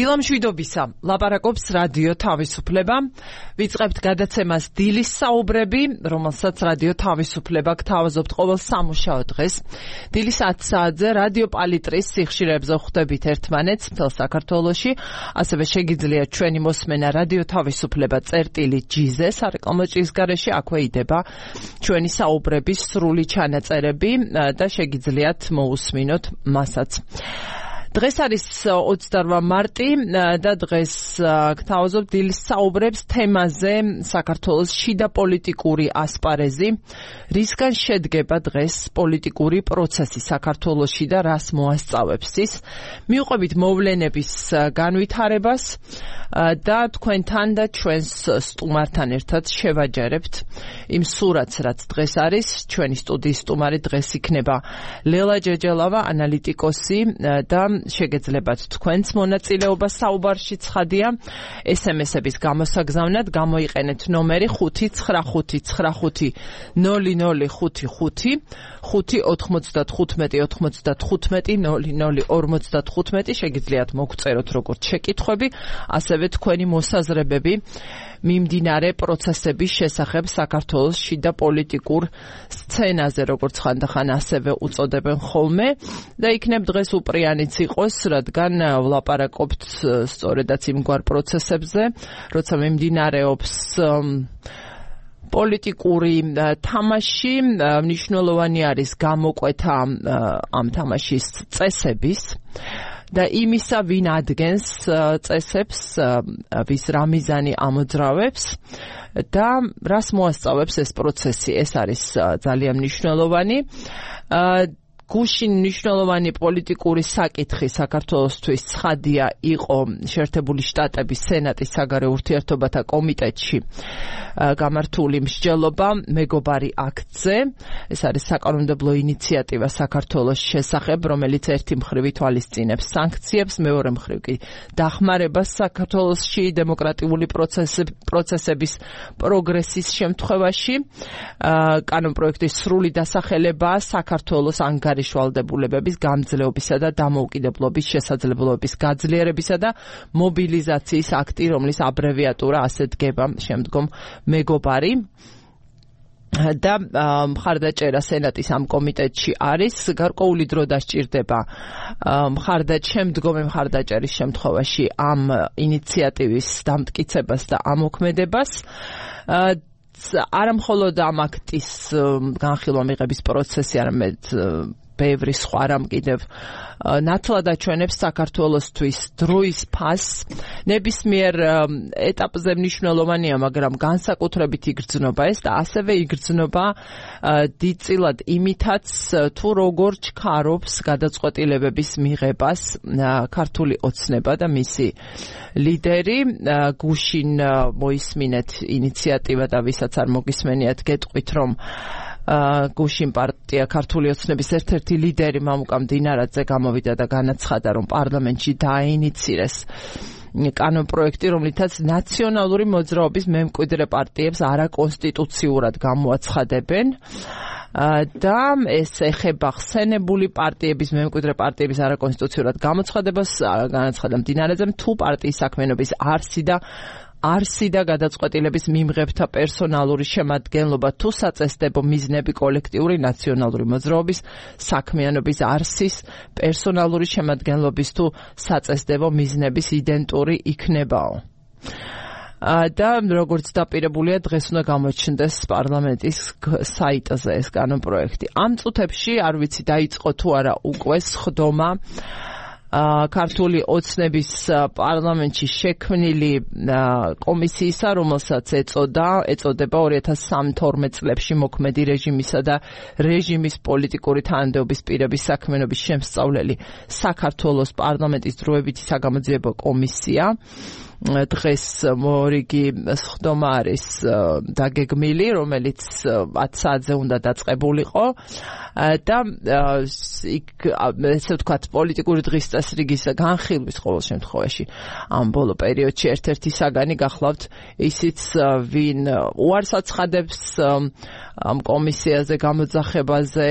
დილამშვიდობისა, ლაპარაკობს რადიო თავისუფლება. ვიწყებთ გადაცემას დილის საუბრები, რომელსაც რადიო თავისუფლება გთავაზობთ ყოველ სამუშაო დღეს. დილის 10 საათზე რადიო პალიტრის სიხშირეებზე ხვდებით ერთმანეთს მთელ საქართველოში. ასევე შეგიძლიათ ჩვენი მოსმენა რადიო თავისუფლება წერტილი.gz სარეკლამო ჭრის გარეშე აქვე იდება ჩვენი საუბრების სრული ჩანაწერები და შეგიძლიათ მოусმინოთ მასაც. დღეს არის 28 მარტი და დღეს გთავაზობ დილის საუბრებს თემაზე საქართველოს შიდა პოლიტიკური ასპარეზი, რისგან შედგება დღეს პოლიტიკური პროცესი საქართველოში და რას მოასწავებს ის. მივყვებით მოვლენების განვითარებას და თქვენთან და ჩვენს სტუმართან ერთად შევაჯერებთ იმ სურათს, რაც დღეს არის. ჩვენი სტუდიის სტუმარი დღეს იქნება ლელა ჯეჯელავა, ანალიტიკოსი და შეგეძლებათ თქვენს მონაწილეობა საუბარში. ცხადია, SMS-ების გამოსაგზავნად გამოიყენეთ ნომერი 599500555 595-95-95-00-55. შეგიძლიათ მოგწეროთ როგორც შეკითხვები, ასევე თქვენი მოსაზრებები მიმდინარე პროცესების შესახებ საქართველოს შიდა პოლიტიკურ სცენაზე, როგორც ხანდახან ასევე უწოდებენ ხოლმე და იქნებ დღეს უპრიანიც იყოს, რადგან ვლაპარაკობთ სწორედაც იმგვარ პროცესებზე, როცა მიმდინარეობს პოლიტიკური თამაში. მნიშვნელოვანი არის გამოკვეთა ამ თამაშის წესების და იმისა, ვინ ადგენს წესებს, ვის რა მიზანი ამოძრავებს და რას მოასწავებს ეს პროცესი. ეს არის ძალიან მნიშვნელოვანი. გუშინ მნიშვნელოვანი პოლიტიკური საკითხი საქართველოსთვის ცხადია იყო შეერთებული შტატების სენატის საგარეო ურთიერთობათა კომიტეტში გამართული მსჯელობა მეგობარი აქტზე. ეს არის საკანონმდებლო ინიციატივა საქართველოს შესახებ, რომელიც ერთი მხრივ ითვალისწინებს სანქციებს, მეორე მხრივ კი დახმარებას საქართველოსში დემოკრატიული პროცესების პროგრესის შემთხვევაში. კანონპროექტის სრული დასახელებაა საქართველოს ანგარიშვალდებულებების გამძლეობისა და დამოუკიდებლობის შესაძლებლობების გაძლიერებისა და მობილიზაციის აქტი, რომლის აბრევიატურა ასე დგება შემდგომ მეგობარი. და მხარდაჭერა სენატის ამ კომიტეტში არის. გარკვეული დრო დასჭირდება შემდგომი მხარდაჭერის შემთხვევაში ამ ინიციატივის დამტკიცებას და ამოქმედებას. არა მხოლოდ ამ აქტის განხილვა მიღების პროცესი, არამედ ბევრი სხვა რამ კიდევ ნათლად აჩვენებს საქართველოსთვის დროის ფასს. ნებისმიერ ეტაპზე მნიშვნელოვანია, მაგრამ განსაკუთრებით იგრძნობა ეს და ასევე იგრძნობა დიდწილად იმითაც, თუ როგორ ჩქარობს გადაწყვეტილებების მიღებას ქართული ოცნება და მისი ლიდერი. გუშინ მოისმინეთ ინიციატივა და ვისაც არ მოგისმენიათ, გეტყვით, რომ გუშინ პარტია ქართული ოცნების ერთ-ერთი ლიდერი მამუკა მდინარაძე გამოვიდა და განაცხადა, რომ პარლამენტში დააინიცირეს კანონპროექტი, რომლითაც ნაციონალური მოძრაობის მემკვიდრე პარტიებს არაკონსტიტუციურად გამოაცხადებენ და ეს ეხება ხსენებული პარტიების, მემკვიდრე პარტიების არაკონსტიტუციურად გამოცხადებას. განაცხადა მდინარაძემ, თუ პარტიის საქმიანობის არსი და გადაწყვეტილების მიმღებთა პერსონალური შემადგენლობა, თუ საწესდებო მიზნები კოლექტიური ნაციონალური მოძრაობის საქმიანობის არსის პერსონალური შემადგენლობის თუ საწესდებო მიზნების იდენტური იქნებაო. და როგორც დაპირებულია, დღეს უნდა გამოჩნდეს პარლამენტის საიტზე ეს კანონპროექტი. ამ წუთებში არ ვიცი დაიწყო თუ არა უკვე სხდომა ქართული ოცნების პარლამენტში შექმნილი კომისიისა, რომელსაც ეწოდება 2013 წლებში მოქმედი რეჟიმისა და რეჟიმის პოლიტიკური თანამდებობის პირების საქმიანობის შემსწავლელი საქართველოს პარლამენტის დროებითი საგამოძიებო კომისია. დღეს მორიგი სხდომა არის დაგეგმილი, რომელიც 10 საათზე უნდა დაწყებულიყო და იქ ესე ვთქვათ პოლიტიკური დღის წესრიგის განხილვის ყოველ შემთხვევაში ამ ბოლო პერიოდში ერთ-ერთი საგანი გახლავთ ისიც ვინ უარს აცხადებს ამ კომისიაზე გამოძახებაზე,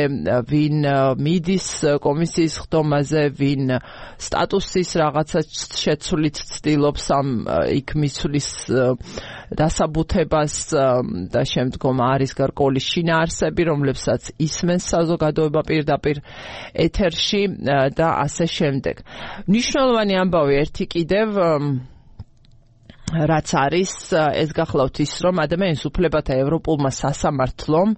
ვინ მიდის კომისიის ხდომაზე, ვინ სტატუსის რაღაცა შეცვლით ცდილობს ამ იქ მისვლის დასაბუთებას და შემდგომ არის გარკვეული შინაარსები, რომლებსაც ისმენს საზოგადოება პირდაპირ ეთერში და ასე შემდეგ. მნიშვნელოვანი ამბავი ერთი კიდევ რაც არის ეს გახლავთ ის რომ ადამიანის უფლებათა ევროპულმა სასამართლომ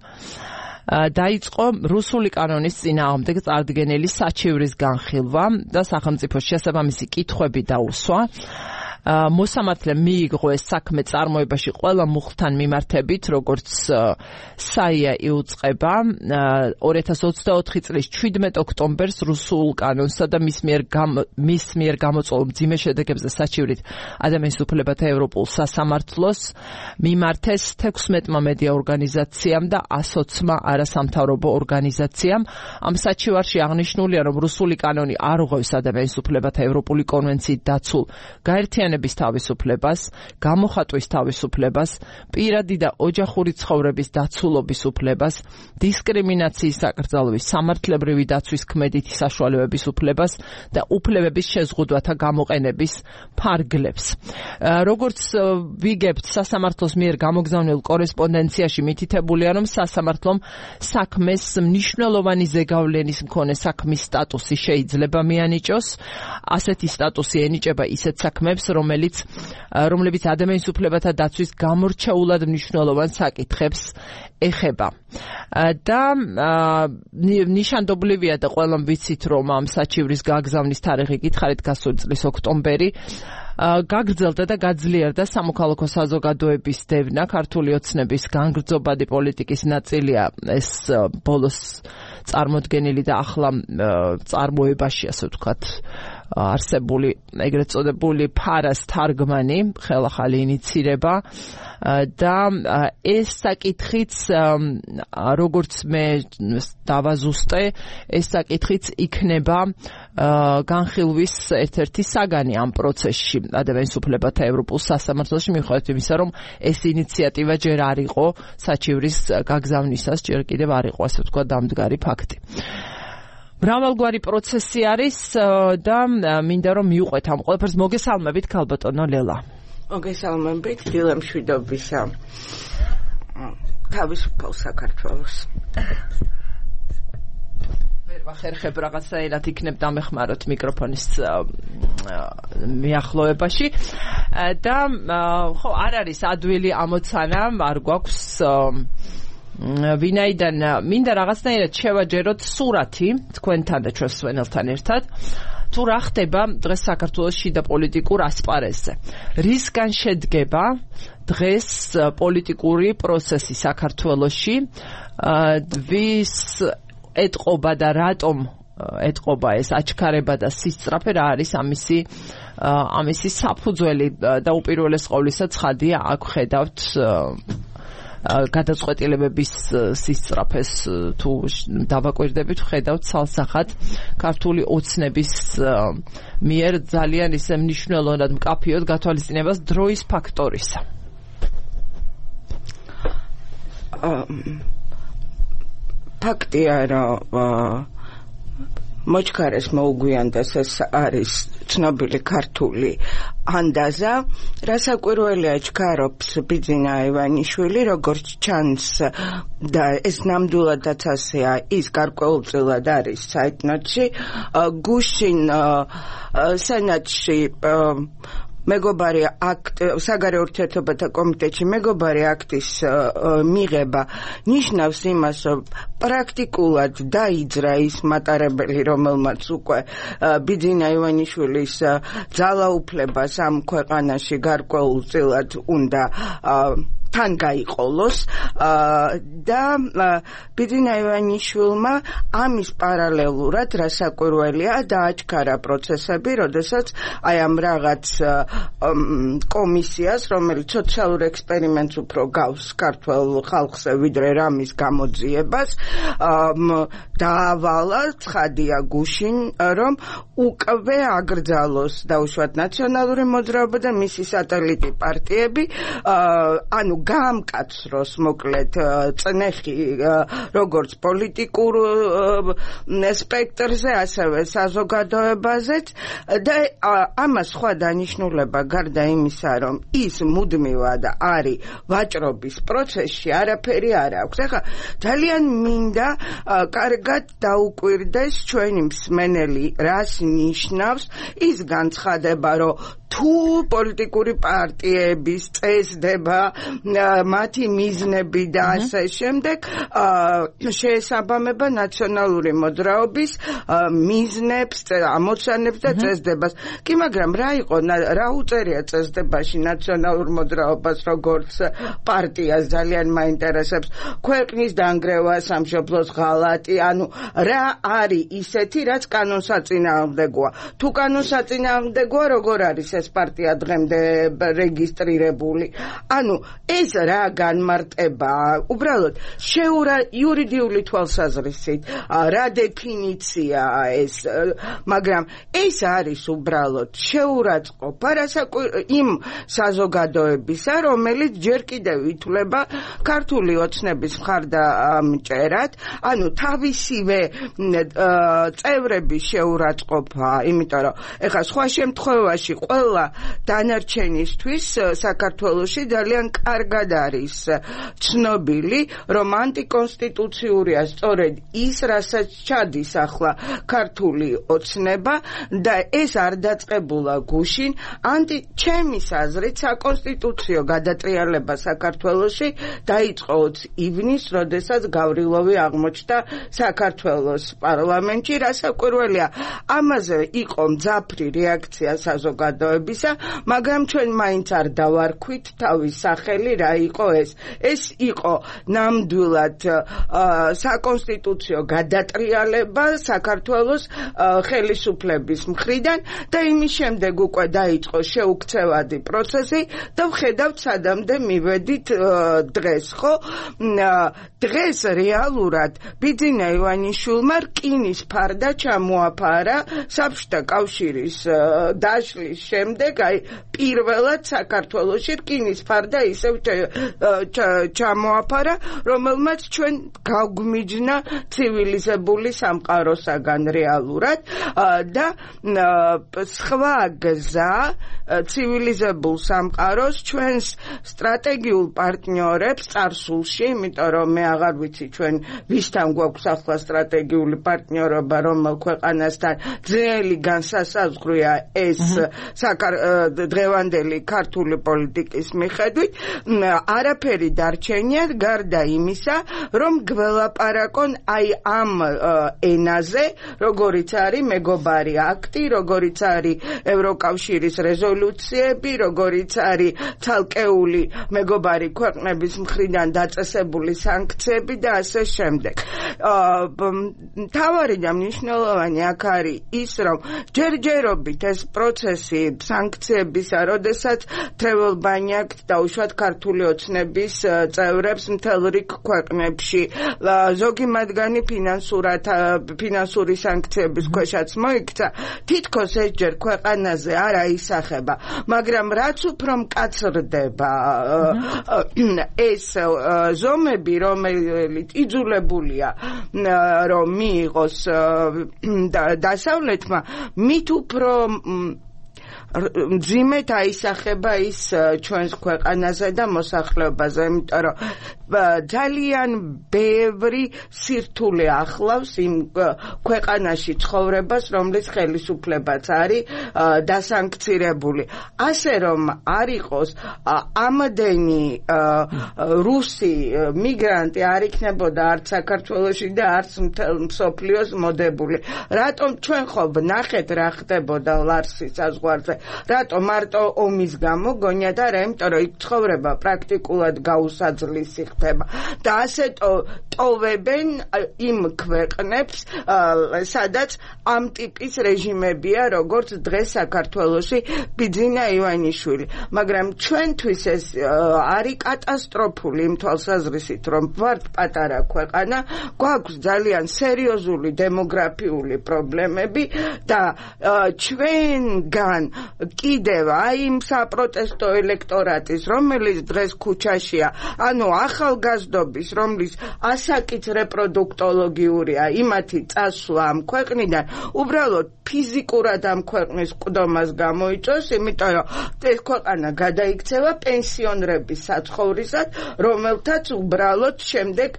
დაიწყო რუსული კანონის წინააღმდეგ წარდგენილი საჩივრის განხილვა და სახელმწიფოს შესაბამისი კითხვები დაუსვა. მოსამართლემ მიიღო ეს საქმე წარმოებაში ყველა მუხლთან მიმართებით, როგორც საია იუწყება 2024 წლის 17 ოქტომბერს რუსულ კანონსა და მის მიერ გამოწვეულ მძიმე შედეგებზე საჩივრით ადამიანის უფლებათა ევროპულ სასამართლოს მიმართეს 16-მა მედია ორგანიზაციამ და 120-მა არასამთავრობო ორგანიზაციამ. ამ საჩივარში აღნიშნულია, რომ რუსული კანონი არ უღევს ადამიანის უფლებათა ევროპული კონვენციით დაცულ გაერთიანების თავისუფლებას, გამოხატვის თავისუფლებას, პირადი და ოჯახური ცხოვრების დაცულობის უფლებას, დისკრიმინაციის საკრძალვის, სამართლებრივი დაცვის ქმედითი საშუალებების უფლებას და უფლებების შეზღუდვათა გამოყენების ფარგლებს. როგორც ვიგებთ, სასამართლოს მიერ გამოგზავნილ კორესპონდენციაში მითითებულია, რომ სასამართლომ საქმეს მნიშვნელოვანი ზეგავლენის მქონე საქმის სტატუსი შეიძლება მიანიჭოს. ასეთი სტატუსი ენიჭება ისეთ საქმებს, რომლებიც ადამიანის უფლებათა დაცვის გამორჩეულად მნიშვნელოვან საკითხებს ეხება. და ნიშანდობლივია და ყველამ ვიცით, რომ ამ საჩივრის გაგზავნის თარიღი გითხარით გასული წლის ოქტომბერი გაგრძელდა და გაძლიერდა სამოქალაქო საზოგადოების დევნა, ქართული ოცნების განგრძობადი პოლიტიკის ნაწილია ეს ბოლოს წარმოდგენილი და ახლა წარმოებაში, ასე ვთქვათ, არსებული ეგრეთ წოდებული ფარას თარგმანი, ხელახალი ინიცირება და ეს საკითხიც როგორც მე დავაზუსტე, ეს საკითხიც იქნება განხილვის ერთ-ერთი საგანი ამ პროცესში ადამიანის უფლებათა ევროპულ სასამართლოში, მიუხედავად იმისა, რომ ეს ინიციატივა ჯერ არ იყო საჩივრის გაგზავნისას, ჯერ კიდევ არ იყო, ასე ვთქვათ, დამდგარი ფაქტი. მრავალგვარი პროცესი არის და მინდა რომ მიუყვეთ ამ ყველაფერს. მოგესალმებით, ქალბატონო ლელა. მოგესალმებით, დილამშვიდობისა თავისუფალ საქართველოს. ვერ ვახერხებ რაღაცაირად იქნებ დამეხმაროთ მიკროფონის მიახლოებაში და ხო არ არის ადვილი ამოცანა, არ გვაქვს ვინაიდან მინდა რაღაცნაირად შევაჯეროთ სურათი თქვენთან და ჩვენს სვენელთან ერთად, თუ რა ხდება დღეს საქართველოს შიდა პოლიტიკურ ასპარეზზე. რისგან შედგება დღეს პოლიტიკური პროცესი საქართველოში, ვის ეტყობა და რატომ ეტყობა ეს აჩქარება და სისწრაფე, რა არის ამისი საფუძველი და უპირველეს ყოვლისა ცხადია აქ ხედავთ გადაწყვეტილებების სისწრაფეს თუ დავაკვირდებით, ხედავთ სალსახად ქართული ოცნების მიერ ძალიან ისე მნიშვნელოვნად მკაფიოდ გათვალისწინებას დროის ფაქტორისა. ფაქტია, რომ მოჩქარეს მოუგვიანდეს ეს არის ცნობილი ქართული ანდაზა, რასაკვირველია ჩქარობს ბიძინა ივანიშვილი, როგორც ჩანს და ეს ნამდვილადაც ასეა, ის გარკვეულწილად არის საიტნოტში, გუშინ სენატში მეგობარი აქტ საგარეო ურთიერთობათა კომიტეტში მეგობარი აქტის მიღება ნიშნავს იმას, რომ პრაქტიკულად დაიძრა ის მატარებელი, რომელმაც უკვე ბიძინა ივანიშვილის ძალაუფლებას ამ ქვეყანაში გარკვეულწილად უნდა თან გაიყოლოს და ბიძინა ივანიშვილმა ამის პარალელურად რასაკვირველია დააჩქარა პროცესები, როდესაც აი ამ რაღაც კომისიას, რომელიც სოციალურ ექსპერიმენტს უფრო გავს ქართულ ხალხზე ვიდრე რამის გამოძიებას, დაავალა ცხადია გუშინ, რომ უკვე აკრძალოს დაუშვათ ნაციონალური მოძრაობა და მისი სატელიტი პარტიები, ანუ გაამკაცროს მოკლედ წნეხი როგორც პოლიტიკურ სპექტრზე, ასევე საზოგადოებაზეც და ამას სხვა დანიშნულება გარდა იმისა, რომ ის მუდმივად არის ვაჭრობის პროცესში, არაფერი არ აქვს. ახლა ძალიან მინდა კარგად დაუკვირდეს ჩვენი მსმენელი, რას ნიშნავს ის განცხადება, რომ თუ პოლიტიკური პარტიების წესდება, მათი მიზნები და ასე შემდეგ შეესაბამება ნაციონალური მოძრაობის მიზნებს, ამოცანებს და წესდებას. კი, მაგრამ რა იყო, რა უწერია წესდებაში ნაციონალურ მოძრაობას როგორც პარტიას ძალიან მაინტერესებს. ქვეყნის დანგრევა, სამშობლოს ღალატი, ანუ რა არის ისეთი, რაც კანონსაწინააღმდეგოა. თუ კანონსაწინააღმდეგოა, როგორ არის ეს პარტია დღემდე რეგისტრირებული? ანუ ეს რა განმარტებაა? უბრალოდ იურიდიული თვალსაზრისით რა დეფინიციაა ეს, მაგრამ ეს არის უბრალოდ შეურაცხყოფა იმ საზოგადოებისა, რომელიც ჯერ კიდევ ითვლება ქართული ოცნების მხარდამჭერად, ანუ თავისივე წევრების შეურაცხყოფა, იმიტომ რომ ეხლა სხვა შემთხვევაში ყველა დანარჩენისთვის საქართველოში ძალიან კარგად არის ცნობილი, რომ ანტიკონსტიტუციურია სწორედ ის, რასაც ჩადის ახლა ქართული ოცნება და ეს არ დაწყებულა გუშინ. ჩემის აზრით საკონსტიტუციო გადატრიალება საქართველოში დაიწყო 20 ივნისს, როდესაც გავრილოვი აღმოჩნდა საქართველოს პარლამენტში. რასაკვირველია, ამაზე იყო მძაფრი რეაქცია საზოგადოებისა, მაგრამ ჩვენ მაინც არ დავარქვით თავის სახელი რა იყო ეს. ეს იყო ნამდვილად საკონსტიტუციო გადატრიალება საქართველოს ხელისუფლების მხრიდან და იმის შემდეგ უკვე დაიწყო შეუქცევადი პროცესი და ვხედავთ სადამდე მივედით დღეს, ხო? დღეს რეალურად ბიძინა ივანიშვილმა რკინის ფარდა ჩამოაფარა საბჭოთა კავშირის დაშლის შემდეგ, აი პირველად საქართველოში რკინის ფარდა ისევ ჩამოაფარა, რომელმაც ჩვენ გავგვიჯნა ცივილიზებული სამყაროსაგან რეალურად და სხვა გზა ცივილიზებულ სამყაროს ჩვენს სტრატეგიულ პარტნიორებს წარსულში, იმიტომ რომ მე აღარ ვიცი ჩვენ ვისთან გვაქვს ახლა სტრატეგიული პარტნიორობა, რომელ ქვეყანასთან ძნელი განსასაზღვრია ეს დღევანდელი ქართული პოლიტიკის მიხედვით, არაფერი დარჩენია გარდა იმისა, რომ გველაპარაკონ აი ამ ენაზე, როგორიც არის მეგობარი აქტი, როგორიც არის ევროკავშირის რეზოლუციები, როგორიც არის ცალკეული მეგობარი ქვეყნების მხრიდან დაწესებული სანქციები და ასე შემდეგ. მთავარი და მნიშვნელოვანი აქ არის ის, რომ ჯერჯერობით ეს პროცესი სანქციებისა, როდესაც თრეველბანიაკ დაუშვათ ქართული ოცნების წევრებს მთელ რიგ ქვეყნებში, ზოგი მათგანი ფინანსური სანქციების ქვეშაც მოიქცა, თითქოს ეს ჯერ ქვეყანაზე არ აისახება, მაგრამ რაც უფრო მკაცრდება ეს ზომები, რომელიც იძულებულია რომ მიიღოს დასავლეთმა, მით უფრო მძიმედ აისახება ის ჩვენს ქვეყანაზე და მოსახლეობაზე, იმიტომ რომ ძალიან ბევრი სირთულე ახლავს იმ ქვეყანაში ცხოვრებას, რომლის ხელისუფლებაც არის დასანქცირებული. ასე რომ არ იყოს ამდენი რუსი მიგრანტი არ იქნებოდა არც საქართველოში და არც მთელ მსოფლიოს მოდებული. რატომ ჩვენ ხო ვნახეთ რა ხდებოდა ლარსის საზღვარზე? რატომ მარტო ომის გამო გონია და რა, იმიტომ რომ იქ ცხოვრება პრაქტიკულად გაუსაძლისი ხდება და ასე ტოვებენ იმ ქვეყნებს, სადაც ამ ტიპის რეჟიმებია, როგორც დღეს საქართველოში ბიძინა ივანიშვილი. მაგრამ ჩვენთვის ეს არის კატასტროფული იმ თვალსაზრისით, რომ ვართ პატარა ქვეყანა, გვაქვს ძალიან სერიოზული დემოგრაფიული პრობლემები და ჩვენგან კიდევ აი იმ საპროტესტო ელექტორატის, რომელიც დღეს ქუჩაშია, ანუ ახალგაზრდობის, რომლის ასაკიც რეპროდუქტოლოგიურია, იმათი წასვლა ამ ქვეყნიდან უბრალოდ ფიზიკურად ამ ქვეყნის ყდომას გამოიწვევს, იმიტომ რომ ეს ქვეყანა გადაიქცევა პენსიონრების საცხოვრისად, რომელთაც უბრალოდ შემდეგ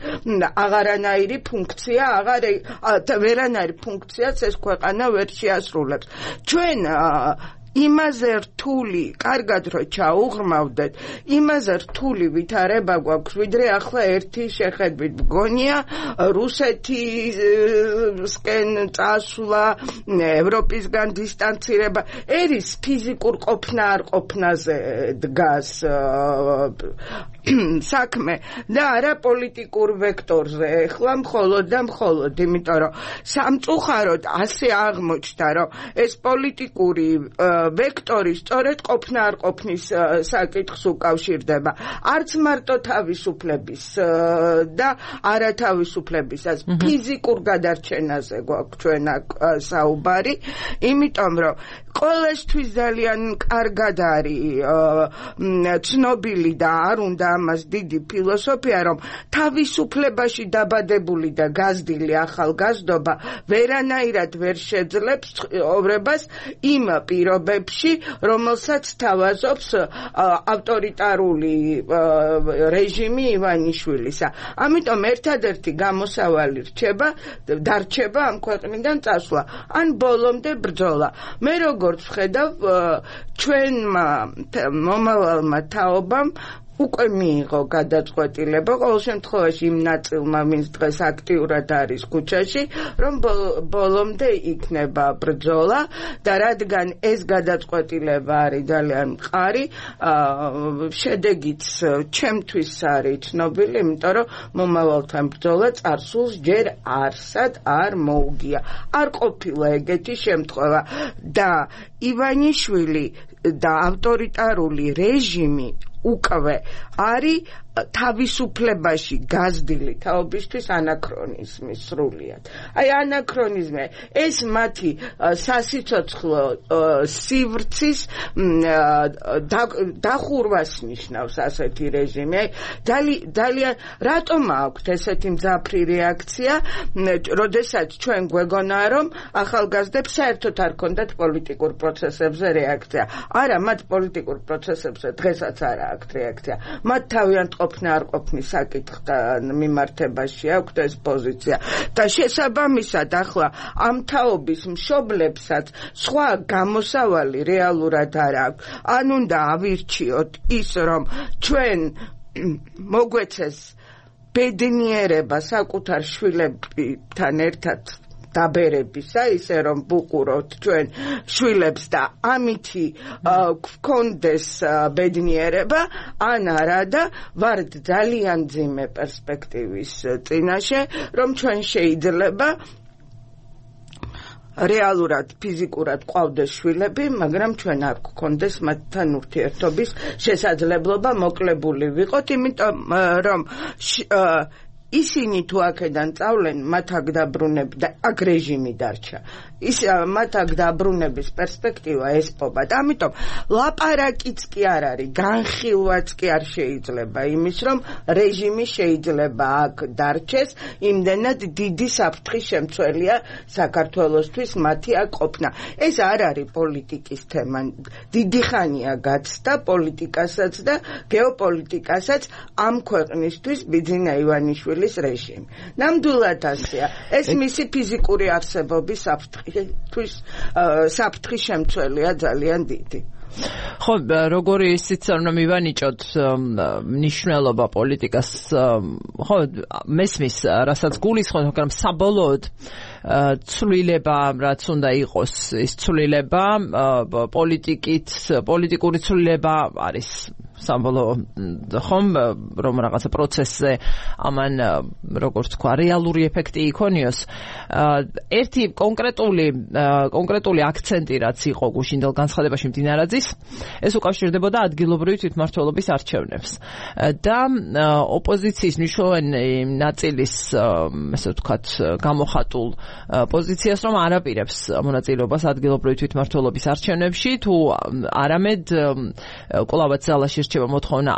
აღარანაირი ფუნქცია, ვერანაირი ფუნქციაც ეს ქვეყანა ვერ შეასრულებს. ჩვენ იმაზე რთული, კარგად რომ ჩაუღრმავდეთ, იმაზე რთული ვითარება გვაქვს, ვიდრე ახლა ერთი შეხედვით მგონია რუსეთისკენ წასვლა, ევროპისგან დისტანცირება, ერის ფიზიკურ ყოფნა არ ყოფნაზე დგას საქმე და არა პოლიტიკურ ვექტორზე. ეხლა მხოლოდ და მხოლოდ, იმიტომ რომ სამწუხაროდ ასე აღმოჩნდა, რომ ეს პოლიტიკური ვექტორი სწორედ ყოფნა არ ყოფნის საკითხს უკავშირდება. არც მარტო თავისუფლების და არათავისუფლებისას ფიზიკურ გადარჩენაზე გვაქვს ჩვენ საუბარი, იმიტომ რომ ყველასთვის ძალიან კარგად არის ცნობილი და არ უნდა ამას დიდი ფილოსოფია, რომ თავისუფლებაში დაბადებული და გაზრდილი ახალგაზრდობა ვერანაირად ვერ შეძლებს ცხოვრებას იმ პირობებში, რომელსაც თავაზობს ავტორიტარული რეჟიმი ივანიშვილისა. ამიტომ ერთადერთი გამოსავალი დარჩება ამ ქვეყნიდან წასვლა, ან ბოლომდე ბრძოლა. მე როგორც ვხედავ, ჩვენმა მომავალმა თაობამ უკვე მიიღო გადაწყვეტილება, ყოველ შემთხვევაში იმ ნაწილმა, ვინც დღეს აქტიურად არის ქუჩაში, რომ ბოლომდე იქნება ბრძოლა და რადგან ეს გადაწყვეტილება არის ძალიან მყარი, შედეგიც ჩემთვის არის ცნობილი, იმიტომ რომ მომავალთან ბრძოლა წარსულს ჯერ არსად არ მოუგია. არ ყოფილა ეგეთი შემთხვევა და ივანიშვილი და ავტორიტარული რეჟიმი უკვე არის თავისუფლებაში გაზრდილი თაობისთვის ანაქრონიზმი სრულიად. აი ანაქრონიზმი, ეს მათი სასიცოცხლო სივრცის დახურვას ნიშნავს ასეთი რეჟიმი. ძალიან რატომ აქვთ ესეთი მძაფრი რეაქცია, როდესაც ჩვენ გვეგონა, რომ ახალგაზრდებს საერთოდ არ ქონდათ პოლიტიკურ პროცესებზე რეაქცია. არა, მათ პოლიტიკურ პროცესებზე დღესაც არ აქვთ რეაქცია. მათ თავიანთ ყოფნა არ ყოფნის საკითხთან მიმართებაში აქვთ ეს პოზიცია და შესაბამისად ახლა ამ თაობის მშობლებსაც სხვა გამოსავალი რეალურად არ აქვს. ან უნდა ავირჩიოთ ის, რომ ჩვენ მოგვეცეს ბედნიერება საკუთარ შვილებთან ერთად დაბერებისა, ისე რომ ვუყუროთ ჩვენ შვილებს და ამითი გქონდეს ბედნიერება, ან არა და ვართ ძალიან მძიმე პერსპექტივის წინაშე, რომ ჩვენ შეიძლება რეალურად ფიზიკურად ყავდეს შვილები, მაგრამ ჩვენ არ გქონდეს მათთან ურთიერთობის შესაძლებლობა, მოკლებული ვიყოთ, იმიტომ რომ ისინი თუ აქედან წავლენ, მათ აქ დაბრუნები და აქ რეჟიმი დარჩა. ის მათ აქ დაბრუნების პერსპექტივა ესპობათ. ამიტომ ლაპარაკიც კი არ არის, განხილვაც კი არ შეიძლება იმის, რომ რეჟიმი შეიძლება აქ დარჩეს, იმდენად დიდი საფრთხის შემცველია საქართველოსთვის მათი აქ ყოფნა. ეს არ არის პოლიტიკის თემა. დიდი ხანია გაცდა პოლიტიკასაც და გეოპოლიტიკასაც ამ ქვეყნისთვის ბიძინა ივანიშვილის რეჟიმი. ნამდვილად ასეა. ეს მისი ფიზიკური არსებობის საფრთხის შემცველია ძალიან დიდი. ხო, როგორი ისიც არ უნდა მივანიჭოთ მნიშვნელობა პოლიტიკას, ხო, მესმის, რასაც გულისხმობთ, მაგრამ საბოლოოდ ცვლილება, რაც უნდა იყოს, ის ცვლილება პოლიტიკური ცვლილება არის საბოლოო ხომ რომ რაღაცა პროცესზე ამან როგორც თქვა რეალური ეფექტი იქონიოს. ერთი კონკრეტული აქცენტი რაც იყო გუშინდელ განცხადებაში მდინარაძის, ეს უკავშირდებოდა ადგილობრივი თვითმმართველობის არჩევნებს და ოპოზიციის მნიშვნელოვანი ნაწილის ესე ვთქვათ გამოხატულ პოზიციას რომ არ აპირებს მონაწილეობას ადგილობრივი თვითმმართველობის არჩევნებში თუ არამედ კვლავაც ზალაში რჩება მოთხოვნა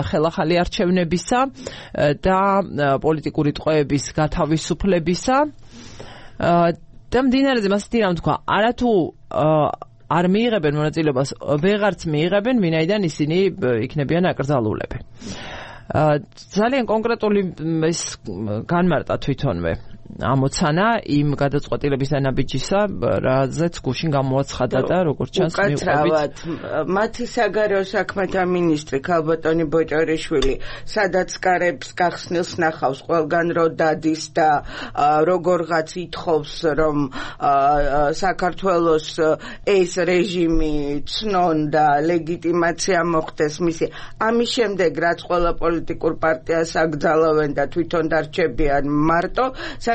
ხელახალი არჩევნებისა და პოლიტიკური ტყვეების გათავისუფლებისა და მდინარეზე მასეთი რამ თქვა არათუ არ მიიღებენ მონაწილეობას ვეღარც მიიღებენ ვინაიდან ისინი იქნებიან აკრძალულები. ძალიან კონკრეტული ის განმარტა თვითონვე ამოცანა იმ გადაწყვეტილების დანაბიჯისა, რაზეც გუშინ გამოაცხადა და როგორც ჩანს მივყვებით. მათი საგარეო საქმეთა მინისტრი ქალბატონი ბოჭორიშვილი, სადაც კარებს გახსნილს ნახავს ყველგან რო დადის და როგორღაც ითხოვს, რომ საქართველოს ეს რეჟიმი ცნონ და ლეგიტიმაცია მოხდეს მისი. ამის შემდეგ რაც ყველა პოლიტიკურ პარტიას აკრძალავენ და თვითონ დარჩებიან მარტო,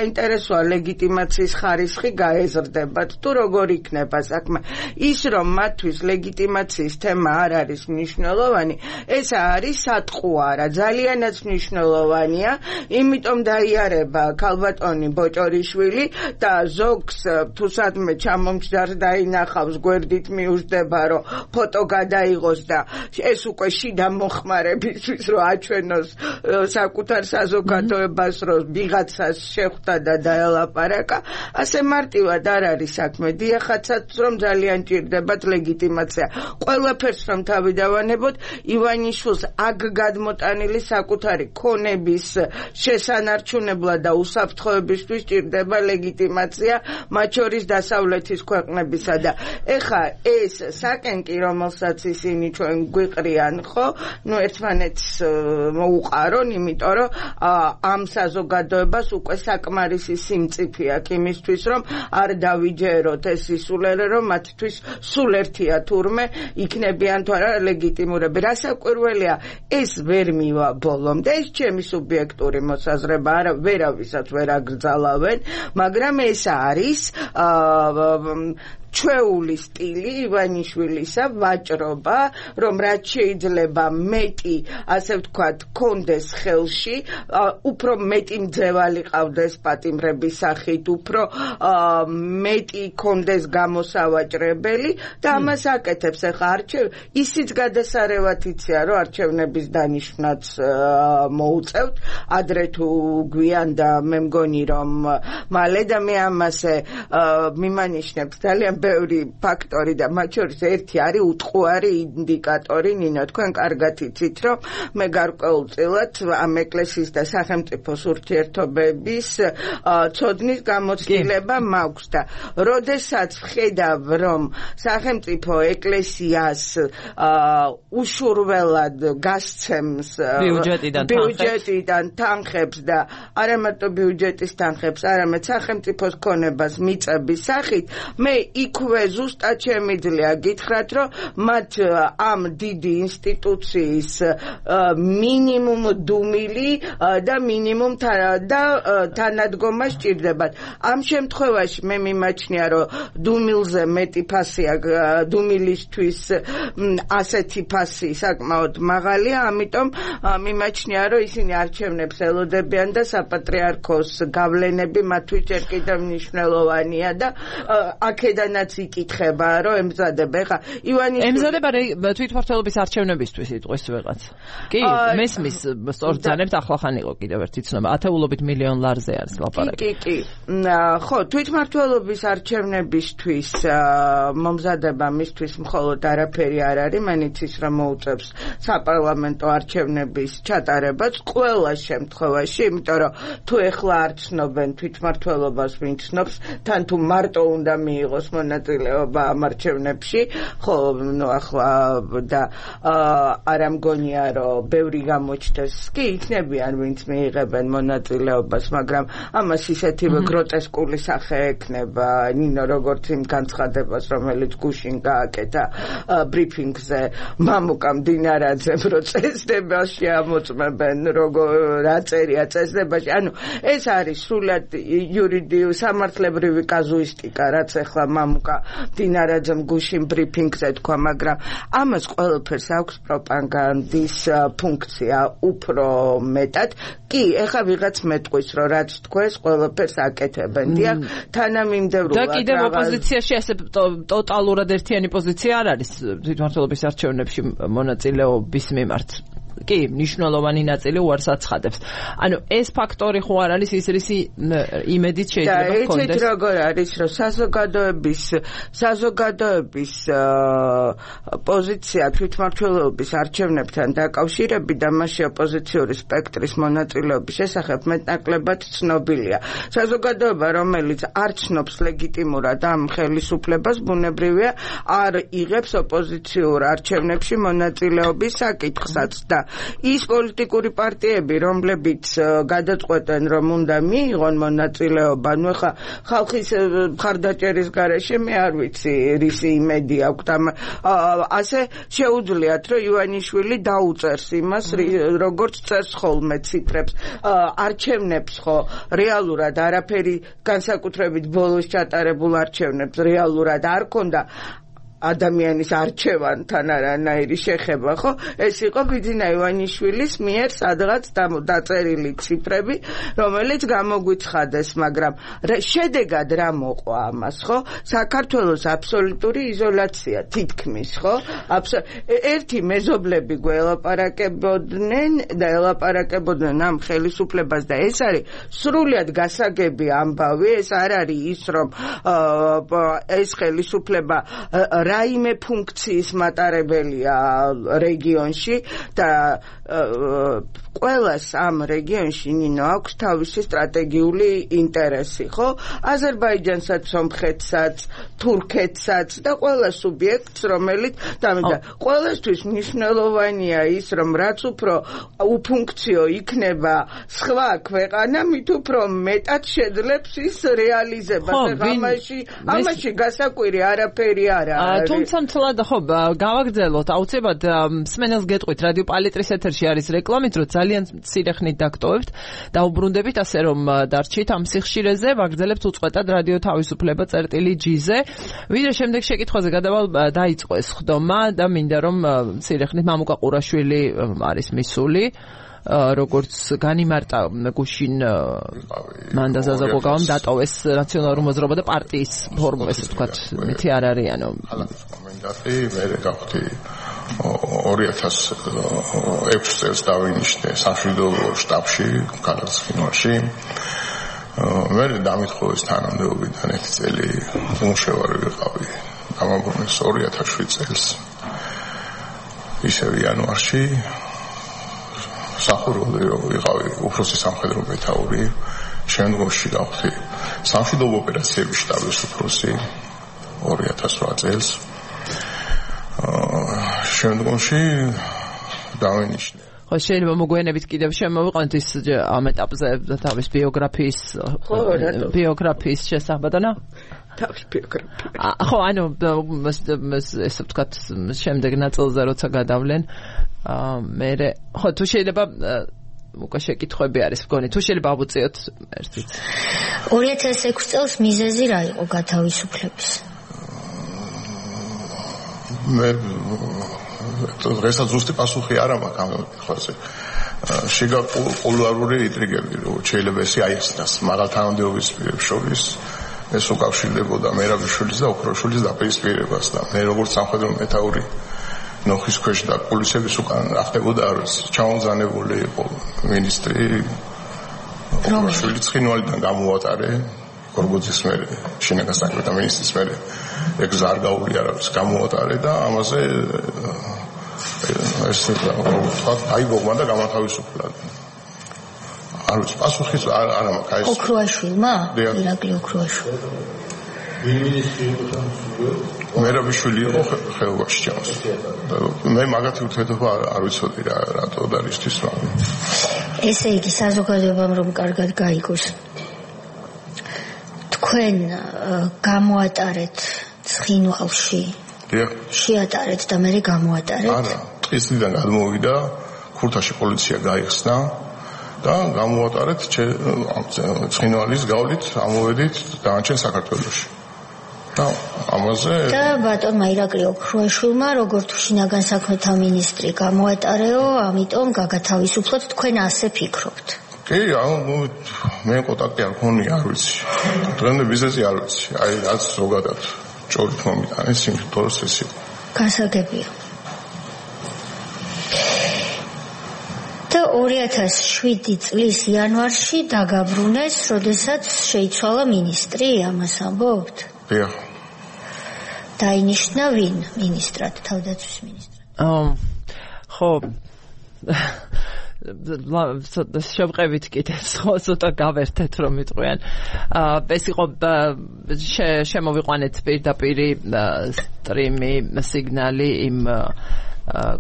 საინტერესოა ლეგიტიმაციის ხარისხი გაეზრდებათ თუ როგორ იქნება საქმე. ის რომ მათთვის ლეგიტიმაციის თემა არ არის მნიშვნელოვანი, ეს არის სატყუარა, ძალიანაც მნიშვნელოვანია, იმიტომ დაიარება ქალბატონი ბოჭორიშვილი და ზოგს თუ სადმე ჩამომჯდარს დაინახავს, გვერდით მიუждდება, რომ ფოტო გადაიღოს და ეს უკვე შიდა მოხმარებისთვის რომ აჩვენოს საკუთარ საზოგადოებას, რომ ვიღაცას შეხვდა და დაელაპარაკა, ასე მარტივად არ არის საქმე. დიახაცაც რომ ძალიან ჭირდებათ ლეგიტიმაცია. ყველაფერს რომ თავი დავანებოთ, ივანიშვილს აქ გადმოტანილი საკუთარი ქონების შესანარჩუნებლად და უსაფრთხოებისთვის ჭირდება ლეგიტიმაცია, მათ შორის დასავლეთის ქვეყნებისა და ეხა ეს საკენკი, რომელსაც ისინი ჩვენ გვიყრიან, ხო, ერთმანეთს მოუყარონ, იმიტომ რომ ამ საზოგადოებას უკვე საკმარისი სიმწიფე აქვს იმისთვის, რომ არ დავიჯეროთ ეს სისულელე, რომ მათთვის სულ ერთია თურმე იქნებიან თუ არა ლეგიტიმურები. რასაკვირველია, ეს ვერ მივა ბოლომდე, ეს ჩემი სუბიექტური მოსაზრება, ვერავისაც ვერ აკრძალავენ, მაგრამ ეს არის ჩვეული სტილი ივანიშვილისა, ვაჭრობა, რომ რაც შეიძლება მეტი, ასე ვთქვათ, კონდეს ხელში, უფრო მეტი მძევალი ყავდეს პატიმრების სახით, უფრო მეტი კონდეს გამოსავაჭრებელი და ამას აკეთებს. ეხლა ისიც გადასარევად იცია, რომ არჩევნების დანიშვნაც მოუწევთ, ადრე თუ გვიან და მე მგონი, რომ მალე და მე ამაზე მიმანიშნებ ძალიან ბევრი ფაქტორი და მათ შორის ერთი არის უტყუარი ინდიკატორი. ნინო, თქვენ კარგად იცით, რომ მე გარკვეულწილად ამ ეკლესიის და სახელმწიფოს ურთიერთობების ცოდნის გამოცდილება მაქვს და როდესაც ვხედავ, რომ სახელმწიფო ეკლესიას უშურველად გასცემს ბიუჯეტიდან თანხებს და არამარტო ბიუჯეტის თანხებს, არამედ სახელმწიფოს ქონებას მიწების სახით, მე იქ იქვე ზუსტად შემიძლია გითხრათ, რომ მათ ამ დიდი ინსტიტუციის მინიმუმ დუმილი და მინიმუმ და თანადგომა სჭირდებათ. ამ შემთხვევაში მე მიმაჩნია, რომ დუმილზე მეტი ფასია, დუმილისთვის ასეთი ფასი საკმაოდ მაღალია, ამიტომ მიმაჩნია, რომ ისინი არჩევნებს ელოდებიან და საპატრიარქოს გავლენები მათთვის ჯერ კიდევ მნიშვნელოვანია და აქედანაც იკითხება, რომ ემზადება. ხა ივანიშვილი ემზადება თვითმმართველობის არჩევნებისთვის იტყვის ვიღაც. კი, მესმის სწორძანებთ ახლახან იყო კიდევ ერთი ცნობა. ათეულობით მილიონ ლარზე არის ლაპარაკი. კი. ხო, თვითმმართველობის არჩევნებისთვის მომზადება მისთვის მხოლოდ არაფერი არ არის, მანიც ის რომ მოუწევს საპარლამენტო არჩევნების ჩატარებას ყველა შემთხვევაში, იმიტომ რომ თუ ეხლა არ ცნობენ თვითმმართველობას ვინ ცნობს, თან თუ მარტო უნდა მიიღოს მონაწილეობა ამ არჩევნებში, ხო, ახლა და არ ამგონია რომ ბევრი გამოჩნდეს, კი იქნებიან ვინც მიიღებენ მონაწილეობას, მაგრამ ამას ისეთივე გროტესკული სახე ექნება, ნინო როგორც იმ განცხადებას, რომელიც გუშინ გააკეთა ბრიფინგზე მამუკა მდინარაძემ, რომ წესდებაში ამოწმებენ რა წერია წესდებაში. ანუ ეს არის სრულად იურიდიული სამართლებრივი კაზუისტიკა, რაც ახლა მამუკა მდინარაძემ გუშინ ბრიფინგზე თქვა, მაგრამ ამას ყველაფერს აქვს პროპაგანდის ფუნქცია უფრო მეტად. კი, ეხლა ვიღაც მეტყვის, რომ რაც თქვეს, ყველაფერს აკეთებენ. დიახ, თანამიმდევრულად და კიდევ ოპოზიციაში ასე ტოტალურად ერთიანი პოზიცია არ არის თვითმმართველობის არჩევნებში მონაწილეობის მიმართ. კი, მნიშვნელოვანი ნაწილი უარს აცხადებს. ანუ ეს ფაქტორი ხო არ არის ის რისი იმედით შეიძლება ჰქონდეს. და ეს როგორ არის, რომ საზოგადოების პოზიცია თვითმმართველობის არჩევნებთან დაკავშირებით და მასში ოპოზიციური სპექტრის მონაწილეობის შესახებ მეტნაკლებად ცნობილია. საზოგადოება, რომელიც არ ცნობს ლეგიტიმურად ამ ხელისუფლებას, ბუნებრივია არ იღებს ოპოზიციურ არჩევნებში მონაწილეობის საკითხსაც და ის პოლიტიკური პარტიები, რომლებიც გადაწყვეტენ, რომ უნდა მიიღონ მონაწილეობა, ნუ ხა ხალხის მხარდაჭერის გარეშე მე არ ვიცი რისი იმედი აქვს. ასე შეუძლიათ, რომ ივანიშვილი დაუწერს იმას, როგორც წერს ხოლმე ციფრებს. არჩევნებს ხო რეალურად არაფერი, განსაკუთრებით ბოლოს ჩატარებულ არჩევნებს რეალურად არ ქონდა ადამიანის არჩევანთან არანაირი შეხება, ხო? ეს იყო ბიძინა ივანიშვილის მიერ სადღაც დაწერილი ციფრები, რომელიც გამოგვიცხადეს, მაგრამ შედეგად რა მოყვა ამას, ხო? საქართველოს აბსოლუტური იზოლაცია თითქმის, ხო? ერთი მეზობლები გველაპარაკებოდნენ და ელაპარაკებოდნენ ამ ხელისუფლებას და ეს არის სრულად გასაგები ამბავი, ეს არ არის ის, რომ ეს ხელისუფლება რაიმე ფუნქციის მატარებელია რეგიონში და ყველას ამ რეგიონში ნინო აქვს თავისი სტრატეგიული ინტერესი, ხო? აზერბაიჯანსაც, სომხეთსაც, თურქეთსაც და ყველა სუბიექტს, რომელიც და ყველასთვის მნიშვნელოვანია ის, რომ რაც უფრო უფუნქციო იქნება სხვა ქვეყანა, მით უფრო მეტად შეძლებს ის რეალიზებას. ამაში გასაკვირი არაფერი არ არის. თუმცა მთლად ხო გავაგრძელოთ აუცილებლად მსმენელს გეტყვით რადიო პალიტრის ეთერში არის რეკლამით, რომ ძალიან მცირე ხნით დაგტოვებთ და უბრუნდებით, ასე რომ დარჩით ამ სიხშირეზე, ვაგრძელებთ უწყვეტად რადიო თავისუფლება წერტილი-G-ზე. ვიდრე შემდეგ შეკითხვაზე გადავალ, დაიწყო ეს ხდომა და მინდა რომ მცირე ხნით მამუკა ყურაშვილი არის მისული, როგორც განიმარტა გუშინ მანდა ზაზაკოგავამ დატოვეს ნაციონალური მოძრაობა და პარტიის ფორმულა, ესე ვთქვათ, მითი არ არიანო. მანდატი მე გავხდი 2006 წელს დავინიშნე სამშვიდობო შტაბში, ქალაქ ცხინვალში. მე დამითხოვეს თანამდებობიდან 1 წელი უმუშევარი ვიყავი. გამაბრუნეს 2007 წელს. ისევ იანვარში სახურავი ვიყავი უფროსი სამხედრო მეთაური, შემდგომში გავხდი სამშვიდობო ოპერაციების შტაბის უფროსი 2008 წელს. შემდგომში დავინიშნე. ხო, შეიძლება მოგვიანებით კიდევ შემოვიყვანოთ ის ამ ეტაპზე თავის ბიოგრაფიის შესახებ, თავის ბიოგრაფია. ხო, ანუ ესე ვთქვათ, შემდეგ ნაწილზე როცა გადავლენ, მე ხო თუ შეიძლება უკვე შეკითხვები არის მგონი, თუ შეიძლება ავუწიოთ ერთიც. 2006 წელს მიზეზი რა იყო გათავისუფლების? მე დღესაც ზუსტი პასუხი არ მაქვს ამ კითხვაზე. შეგა კულუარული ინტრიგები, რომ შეიძლება ესე აიხსნას მაღალ თანამდებობის პირებს შორის ეს უკავშირდებოდა მერაბიშვილის და ოქროშვილის დაპირისპირებას და მე როგორც სამხედრო მეთაური ნოხის ქვეშ და პოლიციის უკან ახდებოდა არის ჩამონზანებული იყო მინისტრი ოქროშვილი ცხინვალიდან გამოვატარე გორგოძის მერე შინაგან საქმეთა მინისტრის მერე ეგ ზარგაული არავის გამოვატარე და ამაზე ეს თქვა აიბოგმა და გამათავისუფლა. არ ვიცი პასუხი არა მაქვს აი ეს ოქროაშვილმა? ირაკლი ოქროაშვილი. მერაბიშვილი იყო ხეობაში ჩავს. მე მაგათი ურთიერთობა არ ვიცოდი რატო და რისთვის მაგრამ. ესე იგი საზოგადოებამ რომ კარგად გაიგოს. თქვენ გამოატარეთ ცხინვალში. შეატარეთ და მე გამოატარეთ? არა, ტყისიდან გადმოვიდა, ქურთაში პოლიცია გაიხსნა და გამოატარეთ ცხინვალის გავლით, ამოვედით დაანჩენ საქართველოში. და ამაზე და ბატონმა ირაკლი ოქროაშვილმა როგორც შინაგან საქმეთა მინისტრი გამოატარეო, ამიტომ გაგათავისუფლოთ, თქვენ ასე ფიქრობთ? კი, მე კონტაქტი არ მქონია, არ ვიცი. დღემდე ბიზნესი არ ვიცი. აი რაც ზოგადად ჭორით მომიტანეს სიმთვროს ეს იყო. გასაგებია. და 2007 წლის იანვარში დაგაბრუნეს, როდესაც შეიცვალა მინისტრი, ამას ამბობთ? დიახ. დაინიშნა ვინ მინისტრად, თავდაცვის მინისტრად? ხო. შევყევით კიდევ ცოტა გავერთეთ რომ მიტყვიან. ეს იყო შემოვიყვანეთ პირდაპირი სტრიმი, სიგნალი იმ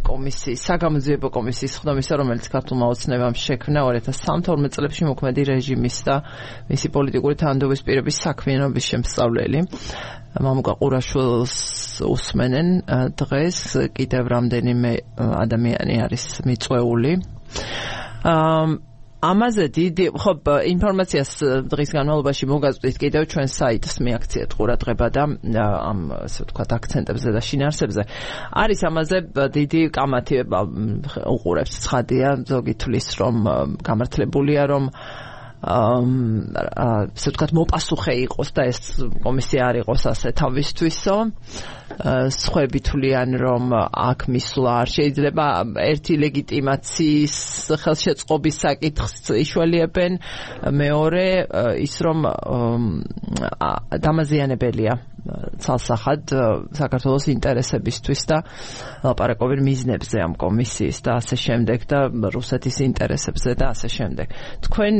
კომისიის, საგამოძიებო კომისიის ხდომისა, რომელიც ქართულმა ოცნებამ შექმნა 2013 წლებში მოქმედი რეჟიმის და მისი პოლიტიკური თანამდებობის პირების საქმიანობის შემსწავლელი. მამუკა ყურაშვილს უსმენენ დღეს კიდევ რამდენიმე ადამიანი არის მიწვეული. ამაზე დიდი ხო ინფორმაციას დღის განმავლობაში მოგაწვდით კიდევ ჩვენ საიტს მიაქციეთ ყურადღება და ამ ასე ვთქვათ აქცენტებზე და შინაარსებზე არის ამაზე დიდი კამათი უყურებს ცხადია ზოგი თვლის რომ გამართლებულია რომ ასე ვთქვათ მოპასუხე იყოს და ეს კომისია არ იყოს ასე თავისთვისო სხვები თვლიან რომ აქ მისვლა არ შეიძლება ერთი ლეგიტიმაციის ხელშეწყობის საკითხს იშველიებენ მეორე ის რომ დამაზიანებელია ცალსახად საქართველოს ინტერესებისთვის და ლაპარაკობენ მიზნებზე ამ კომისიის და ასე შემდეგ და რუსეთის ინტერესებზე და ასე შემდეგ. თქვენ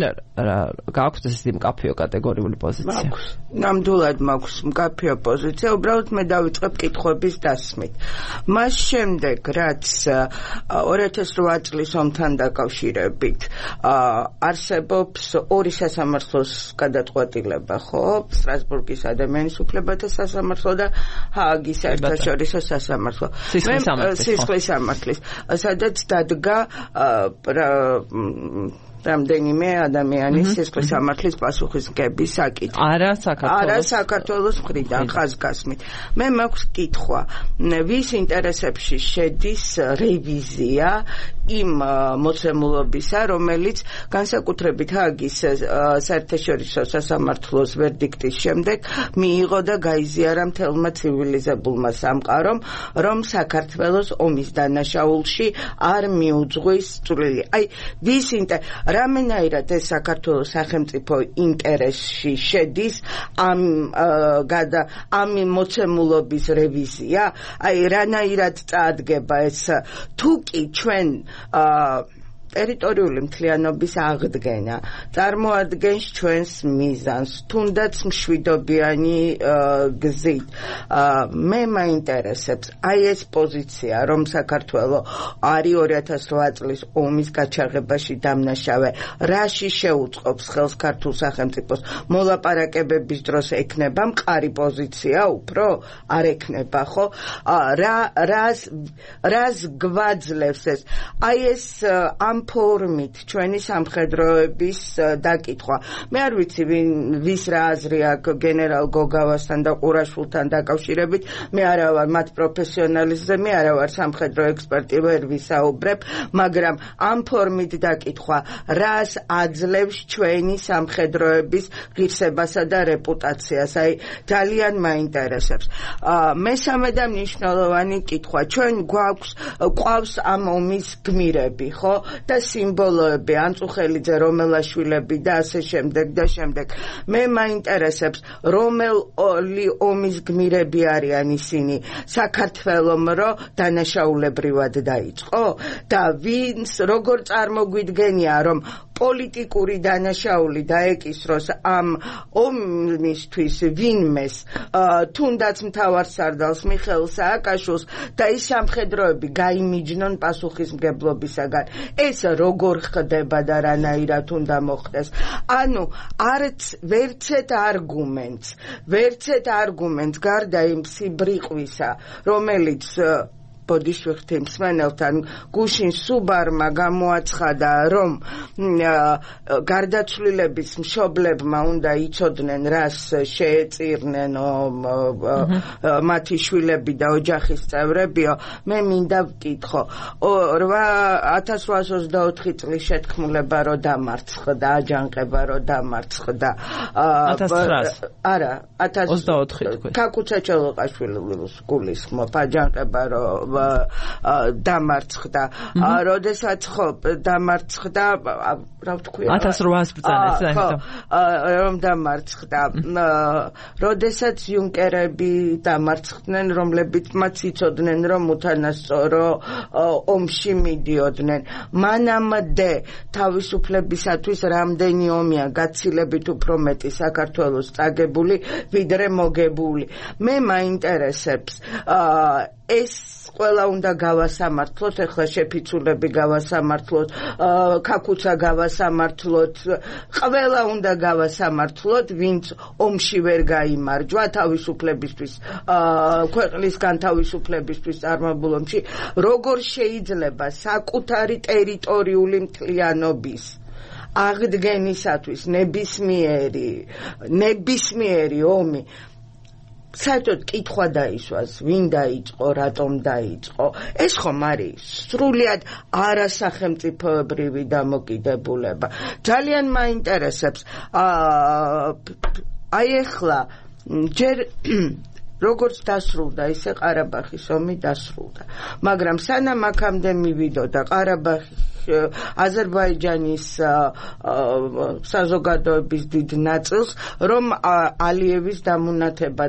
გაქვთ ესეთი მკაფიო კატეგორიული პოზიცია? მაქვს. ნამდვილად მაქვს მკაფიო პოზიცია, უბრალოდ მე დავიწყებ კითხვების დასმით. მას შემდეგ, რაც 2008 წლის ომთან დაკავშირებით არსებობს ორი სასამართლოს გადაწყვეტილება, ხო? სტრასბურგის ადამიანის უფლებათა სასამართლო და ჰააგის საერთაშორისო სასამართლო. სისხლის სამართლის, სადაც დადგა რამდენიმე ადამიანის სისხლის სამართლის პასუხისმგების საკითხი. არა საქართველოს მხრიდან ხაზგასმით. მე მაქვს კითხვა, ვის ინტერესებში შედის რევიზია იმ მოცემულობისა, რომელიც განსაკუთრებით ჰააგის საერთაშორისო სასამართლოს ვერდიქტის შემდეგ მიიღო და გაიზიარა მთელმა ცივილიზებულმა სამყარომ, რომ საქართველოს ომის დანაშაულში არ მიუძღვის წვლილი. აი, ვის რამენაირად ეს საქართველოს სახელმწიფო ინტერესში შედის ამ მოცემულობის რევიზია? აი, რანაირად წაადგება ეს თუ კი ჩვენ ტერიტორიული მთლიანობის აღდგენა წარმოადგენს ჩვენს მიზანს, თუნდაც მშვიდობიანი გზით. მე მაინტერესებს აი ეს პოზიცია, რომ საქართველო არის 2008 წლის ომის გაჩაღებაში დამნაშავე, რაში შეუწყობს ხელს ქართულ სახელმწიფოს მოლაპარაკებების დროს ექნება მყარი პოზიცია უფრო? არ ექნება, ხო? რას გვაძლევს ეს? აი ეს ამ ფორმით ჩვენი სამხედროების დაკითხვა. მე არ ვიცი ვის რა აზრი აქვს გენერალ გოგავასთან და ყურაშვილთან დაკავშირებით. მე არა ვარ მათ პროფესიონალიზმზე, მე არა ვარ სამხედრო ექსპერტი, ვერ ვისაუბრებ, მაგრამ ამ ფორმით დაკითხვა რას აძლევს ჩვენი სამხედროების ღირსებასა და რეპუტაციას. აი ძალიან მაინტერესებს. მესამე და მნიშვნელოვანი კითხვა. ჩვენ გვყავს ამ ომის გმირები, ხო? და სიმბოლოები, ანწუხელიძე, რომელაშვილები და ასე შემდეგ და შემდეგ. მე მაინტერესებს, რომელი ომის გმირები არიან ისინი? საქართველომ რო დანაშაულებრივად დაიწყო და ვინც როგორ წარმოგვიდგენია, რომ პოლიტიკური დანაშაული დაეკისროს ამ ომისთვის ვინმეს, თუნდაც მთავარსარდალს მიხეილ სააკაშვილს და ის სამხედროები გაიმიჯნონ პასუხისმგებლობისაგან. ეს როგორ ხდება და რანაირად უნდა მოხდეს? ანუ ვერცეთ არგუმენტს გარდა იმ სიბრიყვისა, რომელიც ბოდიშვიხთი მსმენელთან გუშინ სუბარმა გამოაცხადა, რომ გარდაცვლილების მშობლებმა უნდა იცოდნენ, რას შეეწირნენ მათი შვილები და ოჯახის წევრებიო. მე მინდა ვკითხო, 1824 წლის შეთქმულება რო დამარცხდა, აჯანყება რო დამარცხდა. 1900 არა, 24 ქაკუცა ჩოლოყაშვილის გულისხმობ, აჯანყება რო დამარცხდა. როდესაც ხო დამარცხდა, რა ვთქვია? 1800 ბრძანეთ, რომ დამარცხდა. როდესაც იუნკერები დამარცხდნენ, რომლებიც მათ იცოდნენ, რომ უთანასწორო ომში მიდიოდნენ. მანამდე თავისუფლებისათვის რამდენი ომია გაცილებით უფრო მეტი საქართველოს წაგებული, ვიდრე მოგებული. მე მაინტერესებს ეს ყველა უნდა გავასამართლოთ, ეხლა შეფიცულები გავასამართლოთ, ქაკუცა გავასამართლოთ, ყველა უნდა გავასამართლოთ, ვინც ომში ვერ გაიმარჯვა თავისუფლებისთვის, ქვეყნის განთავისუფლებისთვის წარმობილ ომში, როგორ შეიძლება საკუთარი ტერიტორიული მთლიანობის აღდგენისათვის ნებისმიერი ომი საერთოდ კითხვა დაისვას, ვინ დაიწყო, რატომ დაიწყო. ეს ხომ არის სრულიად არასახელმწიფოებრივი დამოკიდებულება. ძალიან მაინტერესებს. აი ახლა ჯერ როგორც დასრულდა, ისე ყარაბაღის ომი დასრულდა. მაგრამ სანამ აქამდე მივიდოდა ყარაბაღის აზერბაიჯანის საზოგადოების დიდ ნაწილს, რომ ალიევის დამუნათება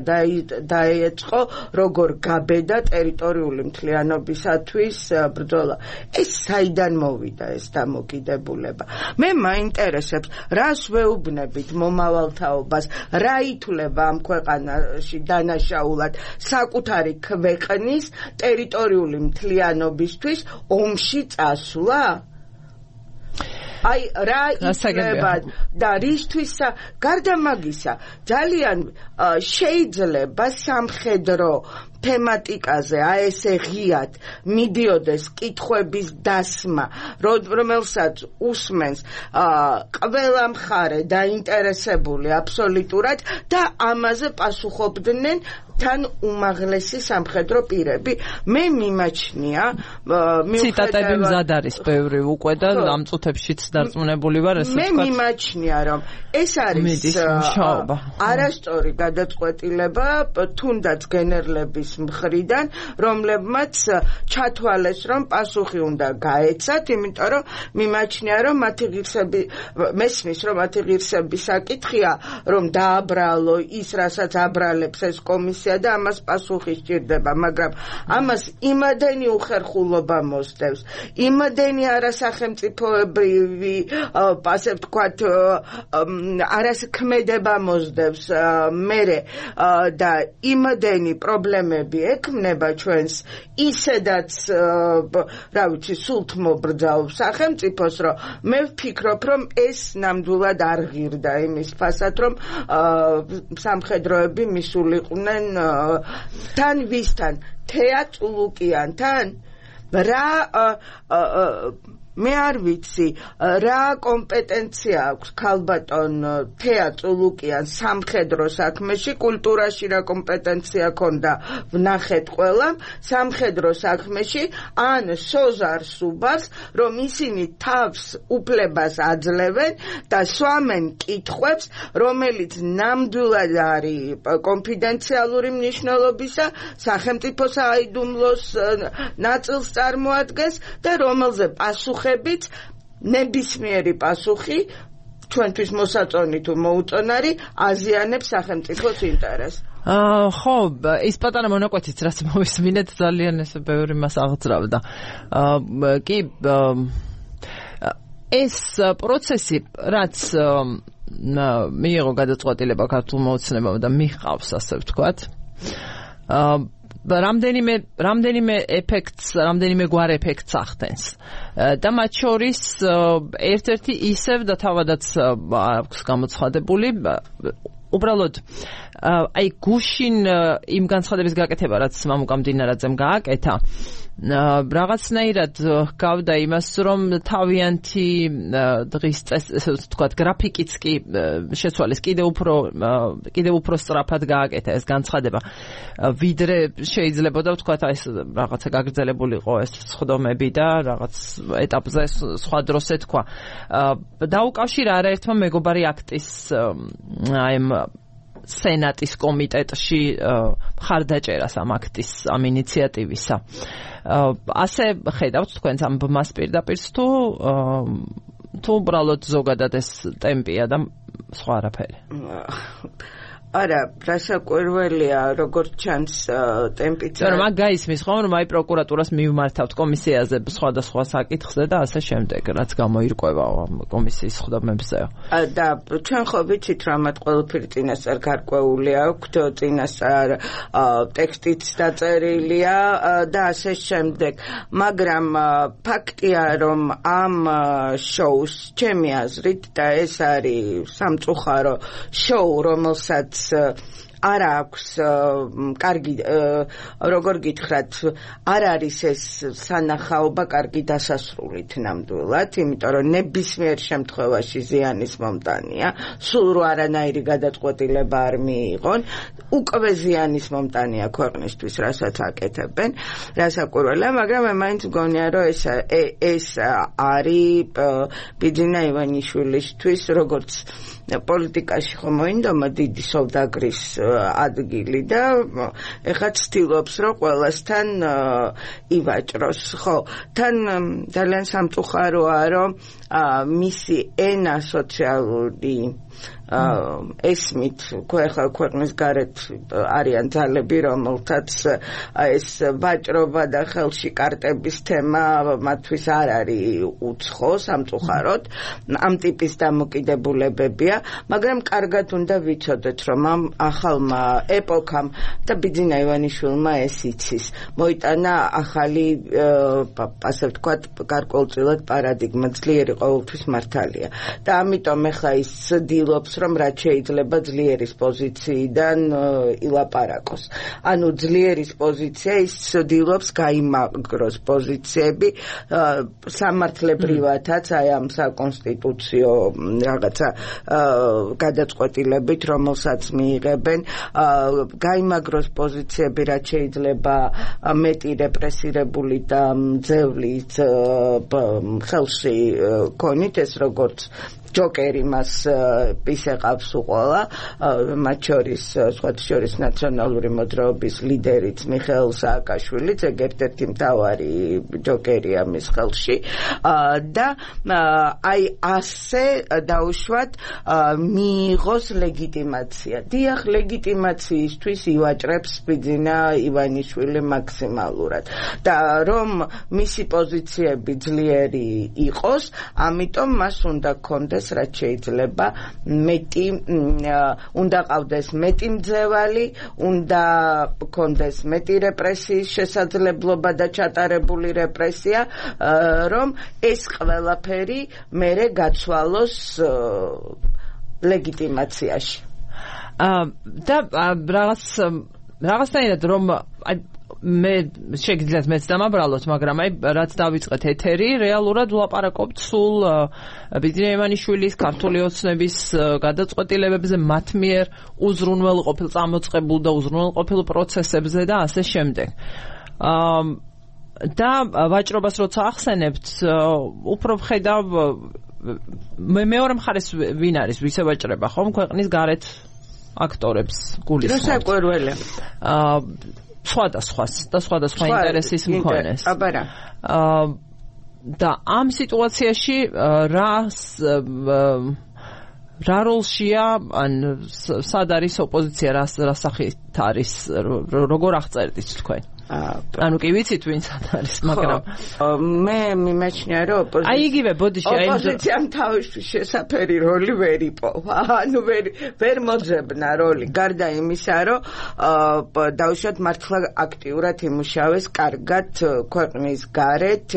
დაეწყო, როგორ გაბედა ტერიტორიული მთლიანობისათვის ბრძოლა. ეს საიდან მოვიდა ეს დამოკიდებულება? მე მაინტერესებს, რას ვეუბნებით მომავალთაობას, რა ითვლება ამ ქვეყანაში დანაშაულად საკუთარი ქვეყნის ტერიტორიული მთლიანობისთვის ომში წასვლა? აი რა ითვლება და რისთვის? გარდა მაგისა, ძალიან შეიძლება სამხედრო თემატიკაზე აი ესე ღიად მიდიოდეს კითხვების დასმა, რომელსაც უსმენს ყველა მხარე დაინტერესებული აბსოლუტურად და ამაზე პასუხობდნენ თან უმაღლესი სამხედრო პირები. მე მიმაჩნია ციტატები მზად არის ბევრი უკვე და ამ წუთებშიც დარწმუნებული ვარ, ესე მე მიმაჩნია, რომ ეს არის არასწორი გადაწყვეტილება, თუნდაც გენერლების ადამიანის მხრიდან, რომლებმაც ჩათვალეს, რომ პასუხი უნდა გაეცათ, იმიტომ რომ მიმაჩნია, რომ მათი ღირსები მესმის, რომ მათი ღირსების საკითხია, რომ დააბრალო ის, რასაც აბრალებს ეს კომისია და ამას პასუხი სჭირდება, მაგრამ ამას იმადენი უხერხულობა მოსდევს, იმადენი არასახელმწიფოებრივი, ასე ვთქვათ, არასქმედება მოსდევს მერე და იმადენი პრობლემები ექმნება ჩვენს ისედაც, რა ვიცი, სულთ მობრძაულ სახელმწიფოს, რომ მე ვფიქრობ, რომ ეს ნამდვილად არ ღირდა იმის ფასად, რომ სამხედროები მისულიყვნენ თან ვისთან, თეა წულუკიანთან, რა მე არ ვიცი, რა კომპეტენცია აქვს ქალბატონ თეა წულუკიან სამხედრო საქმეში, კულტურაში რა კომპეტენცია ქონდა ვნახეთ ყველამ, სამხედრო საქმეში, ან სოზარ სუბარს, რომ ისინი თავს უფლებას აძლევენ და სვამენ კითხვებს, რომელიც ნამდვილად არის კონფიდენციალური მნიშვნელობისა, სახელმწიფო საიდუმლოს ნაწილს წარმოადგენს და რომელზე პასუხი ნებისმიერი პასუხი ჩვენთვის მოსაწონი თუ მოუწონარი აზიანებს სახელმწიფოს ინტერესს. ხო, ის პატარა მონაკვეთიც რაც მოვისმინეთ ძალიან ეს ბევრი მას აღძრავდა. კი ეს პროცესი რაც მიიღო გადაწყვეტილება ქართულ მოუცნებამ და მიჰყავს, ასე ვთქვათ. რამდენიმე ეფექტს, რამდენიმე გვარ ეფექტს ახდენს. და მათ შორის ერთ-ერთი ისევ და თავადაც აქვს გამოცხადებული, უბრალოდ აი გუშინ იმ განცხადების გაკეთება, რაც მამუკა მდინარაძემ გააკეთა, რაღაცნაირად გავდა იმას, რომ თავიანთი დღის ესე ვთქვათ, გრაფიკიც კი შეცვალეს, კიდევ უფრო სწრაფად გააკეთა ეს განცხადება, ვიდრე შეიძლებოდა ვთქვათ, აი ეს რაღაცა გაგრძელებულიყო ეს სხდომები და რაღაც ეტაპზე სხვა დროს ეთქვა. დაუკავშირა არაერთმა მეგობარი აქტის აი სენატის კომიტეტში მხარდაჭერას ამ აქტის, ამ ინიციატივისა. ასე ხედავთ თქვენს ამ ბმას პირდაპირ თუ უბრალოდ ზოგადად ეს ტემპია და სხვა არაფერი? არა, რასაკვირველია, როგორც ჩანს ტემპიც. მაგრამ მაგ გაისმის ხომ, რომ აი პროკურატურას მივმართავთ კომისიაზე სხვადასხვა საკითხზე და ასე შემდეგ, რაც გამოირკვევა კომისიის სხდომებზე. და ჩვენ ხო ვიცით, რომ მათ ყველაფერი წინასწარ გარკვეული აქვთ, წინასწარ ტექსტიც დაწერილია და ასე შემდეგ. მაგრამ ფაქტია, რომ ამ შოუს, ჩემი აზრით, და ეს არის სამწუხარო შოუ, რომელსაც არ აქვს კარგი, როგორ გითხრათ, არ არის ეს სანახაობა კარგი დასასრულით ნამდვილად, იმიტომ რომ ნებისმიერ შემთხვევაში ზიანის მომტანია, სულ რო არანაირი გადაწყვეტილება არ მიიღონ, უკვე ზიანის მომტანია ქვეყნისთვის, რასაც აკეთებენ, რასაკვირველია, მაგრამ მე მაინც მგონია, რომ ეს არის ბიძინა ივანიშვილისთვის, როგორც პოლიტიკაში ხომ მოინდომა დიდი სოვდაგრის ადგილი და ეხლა ცდილობს, რომ ყველასთან ივაჭროს. ხო, თან ძალიან სამწუხაროა, რომ მისი ენა სოციალური ესმით ეხლა ქვეყნის გარეთ არიან ძალები, რომელთაც ეს ვაჭრობა და ხელში კარტების თემა მათთვის არ არის უცხო, სამწუხაროდ, ამ ტიპის დამოკიდებულებებია, მაგრამ კარგად უნდა ვიცოდეთ, რომ ამ ახალმა ეპოქამ და ბიძინა ივანიშვილმა ეს იცის, მოიტანა ახალი, ასე ვთქვათ, გარკვეულწილად პარადიგმა, ძლიერი ყოველთვის მართალია. და ამიტომ ეხლა ის ცდილობს, რომ რაც შეიძლება ძლიერის პოზიციიდან ილაპარაკოს. ანუ ძლიერის პოზიცია ის ცდილობს გაიმაგროს პოზიციები სამართლებრივათაც აი ამ საკონსტიტუციო რაღაცა გადაწყვეტილებით, რომელსაც მიიღებენ, გაიმაგროს პოზიციები, რაც შეიძლება მეტი რეპრესირებული და მძევლი ხელში ქონით, ეს როგორც ჯოკერი მას ისე ეყავს უყოლა მათ შორის სხვათა შორის ნაციონალური მოძრაობის ლიდერიც მიხეილ სააკაშვილიც ერთ-ერთი მთავარი ჯოკერია მის ხელში და აი ასე დაუშვათ მიიღოს ლეგიტიმაცია. დიახ, ლეგიტიმაციისთვის ივაჭრებს ბიძინა ივანიშვილი მაქსიმალურად და რომ მისი პოზიციები ძლიერი იყოს, ამიტომ მას უნდა გქონდეს რაც შეიძლება მეტი უნდა ყავდეს მეტი მძევალი, უნდა გქონდეს მეტი რეპრესიის შესაძლებლობა და ჩატარებული რეპრესია, რომ ეს ყველაფერი მერე გაცვალოს ლეგიტიმაციაში. და რაღაცნაირად რომ მე შეგიძლიათ მეც დამაბრალოთ, მაგრამ აი რაც დავიწყეთ ეთერი, რეალურად ვლაპარაკობთ სულ ბიძინა ივანიშვილის ქართული ოცნების გადაწყვეტილებებზე, მათ მიერ უზრუნველყოფილ წამოწყებულ და უზრუნველყოფილ პროცესებზე და ასე შემდეგ. და ვაჭრობას როცა ახსენებთ, უფრო ვხედავ მეორე მხარეს ვინ არის, ვის ევაჭრება ხომ ქვეყნის გარეთ აქტორებს გულისხმობთ. რასაკვირველია. სხვადასხვა ინტერესის მქონეს. აბარა. და ამ სიტუაციაში რა როლშია, ან სად არის ოპოზიცია, რა სახით არის, როგორ აღწერდით თქვენ? ანუ კი ვიცით ვინც არის, მაგრამ მე მიმაჩნია რომ ოპოზიციამ თავისთვის შესაფერი როლი ვერ იპოვა. ანუ ვერ მოძებნა როლი, გარდა იმისა, რომ დაუშვათ მართლა აქტიურად იმუშავეს კარგად ქვეყნის გარეთ,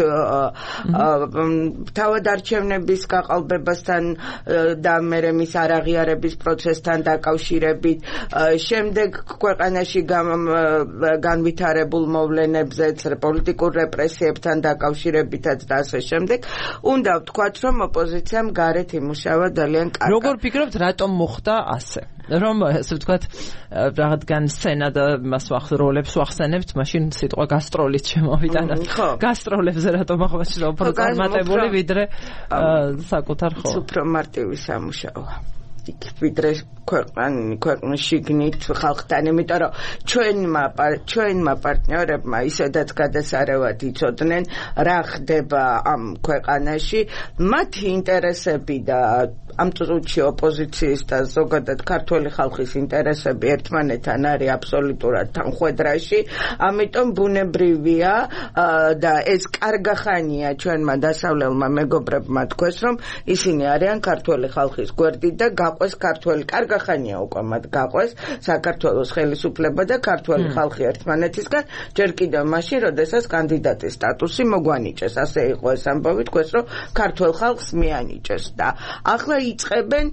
თავად არჩევნების გაყალბებასთან და მერე მის არაღიარების პროცესთან დაკავშირებით, შემდეგ ქვეყანაში განვითარებულ მოვლენებზეც, პოლიტიკურ რეპრესიებთან დაკავშირებითაც და ასე შემდეგ. უნდა ვთქვათ, რომ ოპოზიციამ გარეთ იმუშავა ძალიან კარგად. როგორ ფიქრობთ, რატომ მოხდა ასე? რომ ასე ვთქვათ, რადგან სცენა და მას როლებს ვახსენებთ, მაშინ სიტყვა გასტროლით შემოვიდა და გასტროლებზე რატომ აღნიშნავ უფრო წარმატებული ვიდრე საკუთარ ხოლ. უფრო მარტივი სამუშაოა. ვიდრე ქვეყნის შიგნით ხალხთან, იმიტომ რომ ჩვენმა პარტნიორებმა ისედაც გადასარევად იცოდნენ რა ხდება ამ ქვეყანაში, მათი ინტერესები და ამ წუთში ოპოზიციის და ზოგადად ქართული ხალხის ინტერესები ერთმანეთთან არის აბსოლუტურად თანხვედრაში, ამიტომ ბუნებრივია და ეს კარგახანია ჩვენმა დასავლელმა მეგობრებმა თქვეს, რომ ისინი არიან ქართული ხალხის გვერდი და გაყვეს ქართული კარგახანია უკვე მათ გაყვეს საქართველოს ხელისუფლება და ქართული ხალხი ერთმანეთისგან, ჯერ კიდევ მაშინ, როდესაც კანდიდატის სტატუსი მოგვანიჭეს. ასე იყო ეს ამბავი, თქვეს, რომ ქართულ ხალხს მიანიჭეს და ახლა იწყებენ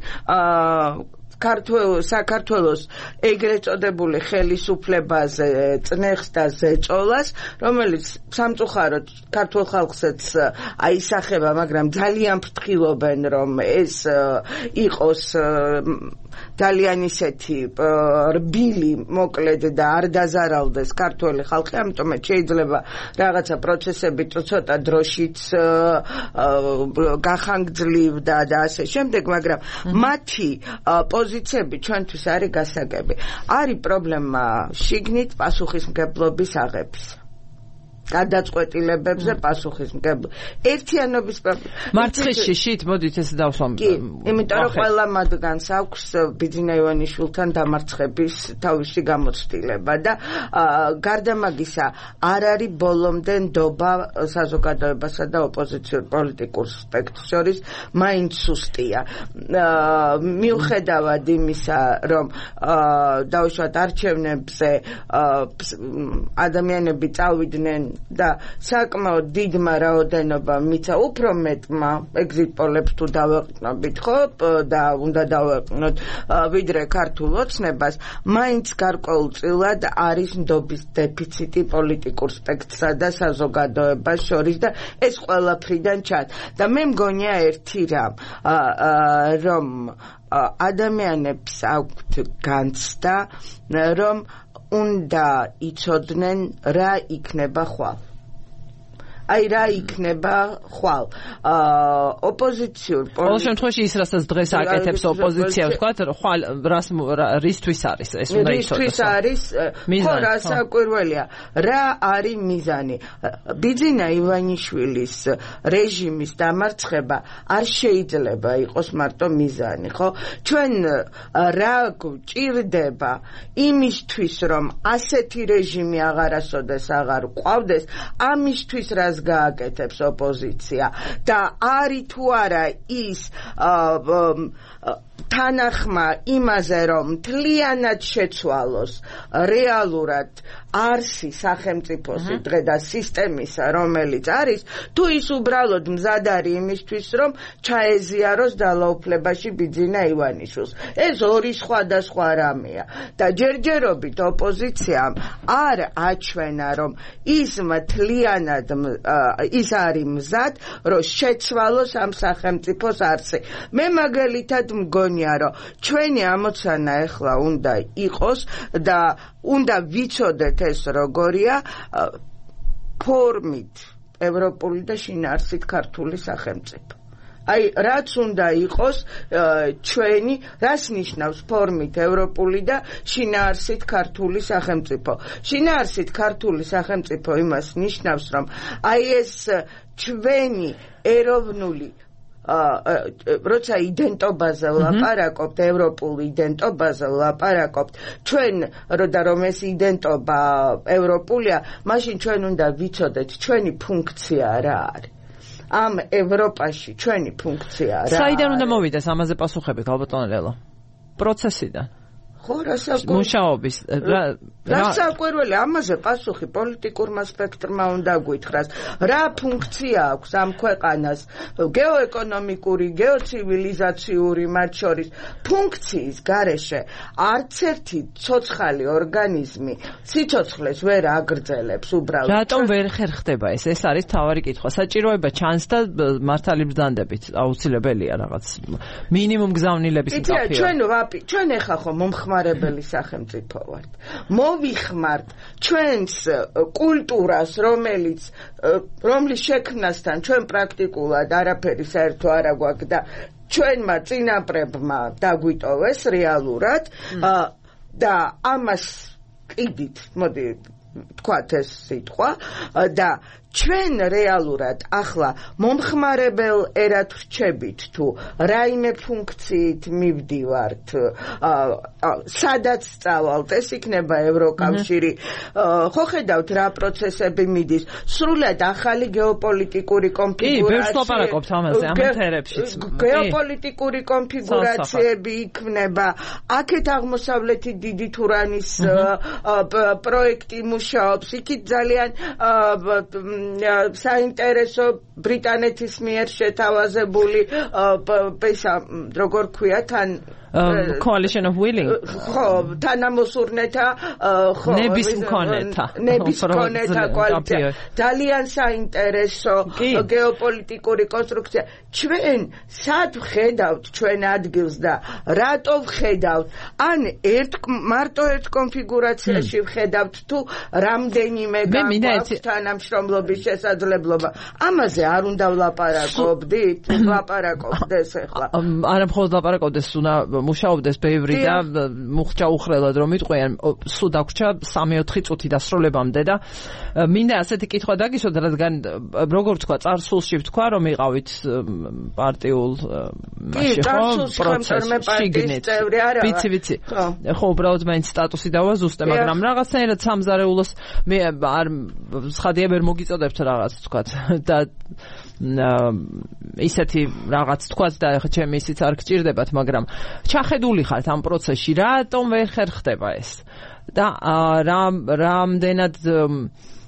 საქართველოს ეგრეთ წოდებული ხელისუფლებაზე წნეხს და ზეწოლას, რომელიც სამწუხაროდ ქართულ ხალხსაც აისახება, მაგრამ ძალიან ფრთხილობენ, რომ ეს იყოს ძალიან ისეთი რბილი, მოკლედ და არ დაზარალდეს ქართული ხალხი, ამიტომ შეიძლება რაღაცა პროცესები ცოტა დროშიც გახანგრძლივდა და ასე შემდეგ, მაგრამ მათი პოზიციები ჩვენთვის არის გასაგები. არის პრობლემა შიგნით პასუხისმგებლობის აღების. გადაწყვეტილებებზე პასუხისმგებლობა. ერთიანობის მარცხის შიშით, მოდით ეს დავსვამ. კი, იმიტომ რომ ყველა მათგანს აქვს ბიძინა ივანიშვილთან დამარცხების თავისი გამოცდილება და გარდა მაგისა არ არის ბოლომდე ნდობა საზოგადოებასა და ოპოზიციურ პოლიტიკურ სპექტრს შორის, მაინც სუსტია. მიუხედავად იმისა, რომ დაუშვათ არჩევნებზე ადამიანები წავიდნენ და საკმაოდ დიდმა რაოდენობამ მიცა, უფრო მეტმა ეგზიტ პოლებს თუ დავეყნობით, ხო, და უნდა დავეყნოთ ვიდრე ქართულ ოცნებას, მაინც გარკვეულწილად არის ნდობის დეფიციტი პოლიტიკურ სპექტრსა და საზოგადოებას შორის და ეს ყველაფრიდან ჩანს. და მე მგონია ერთი რამ, რომ ადამიანებს აქვთ განცდა, რომ უნდა იცოდნენ რა იქნება ხვალ. აი რა იქნება ხვალ ოპოზიციურ ყოველ შემთხვევაში ის რასაც დღეს აკეთებს ოპოზიცია ვთქვათ ხვალ რისთვის არის ეს უნდა იცოდოს რისთვის არის ხო რა საკვირველია რა არის მიზანი ბიძინა ივანიშვილის რეჟიმის დამარცხება არ შეიძლება იყოს მარტო მიზანი ხო ჩვენ რა გვჭირდება იმისთვის რომ ასეთი რეჟიმი აღარასოდეს აღარ ყავდეს ამისთვის რას გააკეთებს ოპოზიცია და არის თუ არა ის თანახმა იმაზე რომ მთლიანად შეცვალოს რეალურად არსი სახელმწიფოსი დღე და სისტემისა რომელიც არის თუ ის უბრალოდ მზად არის იმისთვის რომ ჩაეზიაროს ძალაუფლებაში ბიძინა ივანიშვილს ეს ორი სხვადასხვა რამეა და ჯერჯერობით ოპოზიციამ არ აჩვენა რომ ის მთლიანად ის არის მზად რომ შეცვალოს ამ სახელმწიფოს არსი მე მაგალითად მგონია რომ ჩვენი ამოცანა ახლა უნდა იყოს და უნდა ვიცოდეთ ეს როგორია ფორმით ევროპული და შინაარსით ქართული სახელმწიფო აი რაც უნდა იყოს ჩვენი რას ნიშნავს ფორმით ევროპული და შინაარსით ქართული სახელმწიფო შინაარსით ქართული სახელმწიფო იმას ნიშნავს რომ აი ეს ჩვენი ეროვნული როცა იდენტობაზე ვლაპარაკობთ ევროპულ იდენტობაზე ვლაპარაკობთ ჩვენ რომ ეს იდენტობა ევროპულია მაშინ ჩვენ უნდა ვიცოდეთ ჩვენი ფუნქცია რა არის ამ ევროპაში ჩვენი ფუნქცია რა საიდან უნდა მოვიდეს ამაზე პასუხები გალბატონ ლელო პროცესიდან ხო რასაკვირველია მუშაობის რასაკვირველია ამაზე პასუხი პოლიტიკურმა სპექტრმა უნდა გითხრას რა ფუნქცია აქვს ამ ქვეყანას გეოეკონომიკური გეოცივილიზაციური მათ შორის ფუნქციის გარეშე არც ერთი ცოცხალი ორგანიზმი სიცოცხლეს ვერ აგრძელებს უბრალოდ რატომ ვერ ხერხდება ეს არის თავარი კითხვა საჭიროება ჩანს და მართალი ბრძანდებით აუცილებელია რაღაც მინიმუმ გზავნილების მკაფიო ჩვენ ეხა ხო მომხმარებელი სახელმწიფო ვართ მოვიხმართ ჩვენს კულტურას რომლის შექმნასთან ჩვენ პრაქტიკულად არაფერი საერთო არ აგვაქვს და ჩვენმა წინაპრებმა დაგვიტოვეს რეალურად და ამას ყიდით მოდი თქვათ ეს სიტყვა და ჩვენ რეალურად ახლა მომხმარებელ ერად ვრჩებით თუ რაიმე ფუნქციით მივდივართ სადაც წავალთ ეს იქნება ევროკავშირი ხო ხედავთ რა პროცესები მიდის სრულად ახალი გეოპოლიტიკური კონფიგურაცია გეოპოლიტიკური კონფიგურაციები იქნება აქეთ აღმოსავლეთი დიდი თურანის პროექტი მუშაობს იქით ძალიან საინტერესო ბრიტანეთის მიერ შეთავაზებული როგორ ქვია თან coalition of willing ხო თანამოსურნეთა ხო ნებისმქონეთა კოალიცია ძალიან საინტერესო გეოპოლიტიკური კონსტრუქცია ჩვენ სად ვხედავთ ჩვენ ადგილს და რატო ვხედავთ ან მარტო ერთ კონფიგურაციაში ვხედავთ თუ რამდენიმე გაგვაქვს თანამშრომლობის შესაძლებლობა ამაზე არ უნდა ვლაპარაკობდით ვლაპარაკობდეს ახლა არა მხოლოდ ვლაპარაკობდეს უნდა მუშაობდეს ბევრი და მუხჭა უხრელად რომ იტყვიან სულ დაგვრჩა 3-4 წუთი დასრულებამდე და მინდა ასეთი კითხვა დაგისვათ რადგან როგორ თქვა წარსულში ვთქვა რომ იყავით პარტიულ პროცესში ვიცი ხო უბრალოდ მაინც სტატუსი დავაზუსტე მაგრამ რაღაცნაირად სამზარეულოს მე არ ცხადია ვერ მოგიწოდებთ რაღაც თქვა და ისეთი რაღაც თქვაც და ხა ჩემი ისიც არ გჭირდებათ მაგრამ ჩახედული ხართ ამ პროცესში რატომ ვერ ხერხდება ეს და რამდენად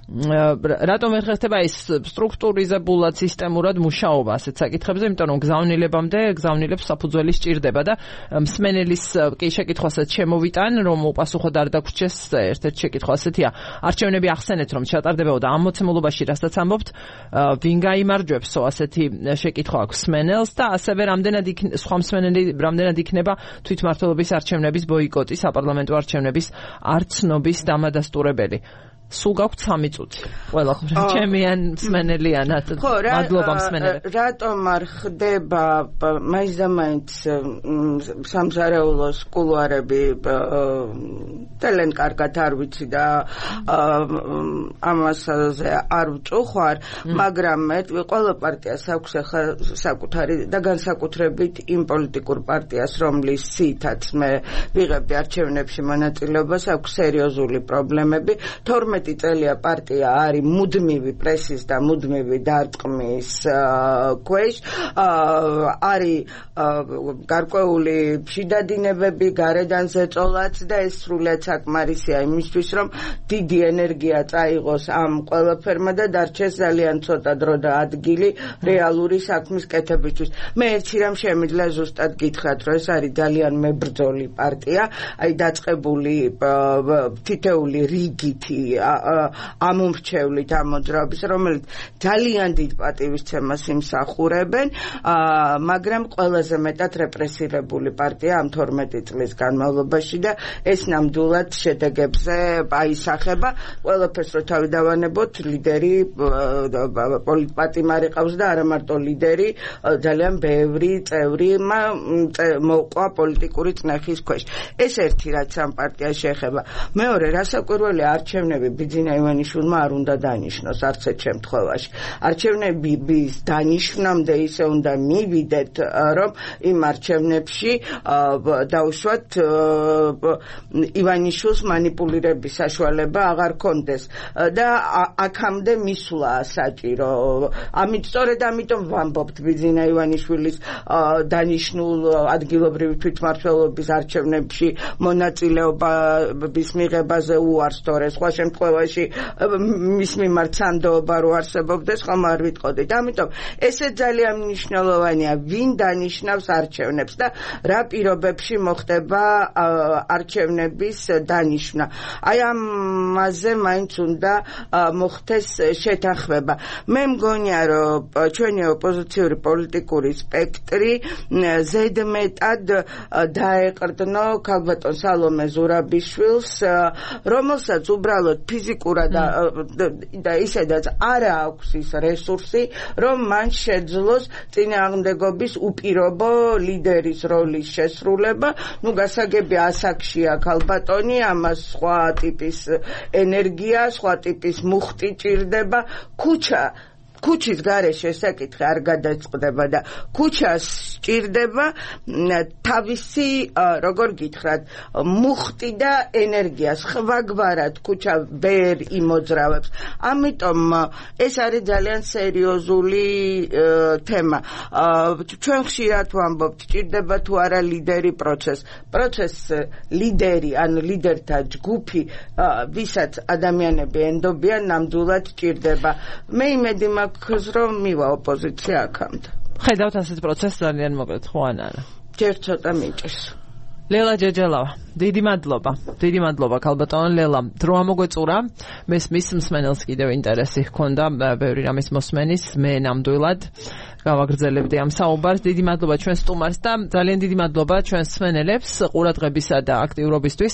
რატომ ვერ ხერხდება ეს სტრუქტურიზებულად სისტემურად მუშაობა ასეთ საკითხებზე იმიტომ რომ გზავნილებს საფუძველი სჭირდება და მსმენელის კი შეკითხვასაც შემოვიტან რომ უპასუხოდ არ დაგვრჩეს ერთ-ერთი შეკითხვა ასეთია არჩევნები ახსენეთ რომ ჩატარდებოდა და ამ მოცემულობაში რასაც ამბობთ ვინ გაიმარჯვებსო ასეთი შეკითხვა აქვს მსმენელს და ასევე სხვა მსმენელი რამდენად იქნება თვითმმართველობის არჩევნების ბოიკოტი საპარლამენტო არჩევნების არ ცნობის დამადასტურებელი სულ გაქვთ 3 წუთი. ყველა ჩემიან მსმენელიანად. მადლობა მსმენელებს. რატომ არ ხდება მაინც და მაინც სამზარეულოს კულუარები თელენ კარგად არ ვიცი და ამასაზე არ ვწუხარ, მაგრამ ყველა პარტიას აქვს ახლა საკუთარი და განსაკუთრებით იმ პოლიტიკურ პარტიას, რომლის სითაც მე ვიღებდი არჩევნებში მონაწილეობას, აქვს სერიოზული პრობლემები. 12 წელია პარტია არის მუდმივი პრესის და მუდმივი დარტყმის ქვეშ, არის გარკვეული შიდადინებები, გარედან ზეწოლაც და ეს სრულიად საკმარისია იმისთვის, რომ დიდი ენერგია წაიღოს ამ ყველაფერმა და დარჩეს ძალიან ცოტა დრო და ადგილი რეალური საქმის კეთებისთვის. მე ერთი რამ შემიძლია ზუსტად გითხრათ, რომ ეს არის ძალიან მებრძოლი პარტია, აი დაწყებული თითეული რიგითი ამომრჩევლით ამ მოძრაობის, რომელიც ძალიან დიდ პატივისცემას იმსახურებენ, მაგრამ ყველაზე მეტად რეპრესირებული პარტია ამ 12 წლის განმავლობაში და ეს ნამდვილად შედეგებზე აისახება. ყველაფერს რო თავი დავანებოთ, ლიდერი პოლიტპატიმარი ყავს და არა მარტო ლიდერი, ძალიან ბევრი წევრი მოყვა პოლიტიკური წნეხის ქვეშ. ეს ერთი რაც ამ პარტიას შეეხება. მეორე, რასაკვირველია, არჩევნები ბიძინა ივანიშვილმა არ უნდა დანიშნოს არც ერთ შემთხვევაში. არჩევნების დანიშნამდე ისე უნდა მივიდეთ, რომ იმ არჩევნებში დაუშვათ ივანიშვილს მანიპულირების საშუალება აღარ კონდეს და აქამდე მისვლა საჭირო. სწორედ ამიტომ ვამბობთ ბიძინა ივანიშვილის დანიშნულ ადგილობრივი თვითმმართველობის არჩევნებში მონაწილეობის მიღებაზე უარს, თორე სხვა შემთხვევაში მის მიმართ სანდოობა რო არსებობდეს, ხომ არ ვიტყოდით. ამიტომ ესე ძალიან მნიშვნელოვანია, ვინ დანიშნავს არჩევნებს და რა პირობებში მოხდება არჩევნების დანიშნა. აი ამაზე მაინც უნდა მოხდეს შეთანხმება. მე მგონია, რომ ჩვენი ოპოზიციური პოლიტიკური სპექტრი ზედმეტად დაეყრდნო ქალბატონ სალომე ზურაბიშვილს, რომელსაც უბრალოდ ფიზიკურად და ისედაც არ აქვს ის რესურსი, რომ მან შეძლოს წინააღმდეგობის უპირობო ლიდერის როლის შესრულება. გასაგები ასაკშია ქალბატონი, ამას სხვა ტიპის ენერგია, სხვა ტიპის მუხტი ჭირდება. ქუჩის გარეშე საკითხი არ გადაწყდება და ქუჩას ჭირდება თავისი, როგორ გითხრათ, მუხტი და ენერგია. სხვაგვარად ქუჩა ვერ იმოძრავებს. ამიტომ ეს არის ძალიან სერიოზული თემა. ჩვენ ხშირად ვამბობთ, ჭირდება თუ არა ლიდერი პროცესს ლიდერი, ანუ ლიდერთა ჯგუფი, ვისაც ადამიანები ენდობიან, ნამდვილად ჭირდება. მე იმედი მაქვს, რომ მივა ოპოზიცია აქამდე. ხედავთ ასეთ პროცესს ძალიან მოკლედ, ხო ან არა? ჯერ ცოტა მიჭირს. ლელა ჯეჯელავა, დიდი მადლობა ქალბატონ ლელა. დრო ამოგვეწურა, მის მსმენელს კიდევ ინტერესი ჰქონდა ბევრი რამის მოსმენის, მე ნამდვილად გავაგრძელებდი ამ საუბარს. დიდი მადლობა ჩვენ სტუმარს და ძალიან დიდი მადლობა ჩვენ მსმენელებს ყურადღებისა და აქტიურობისთვის.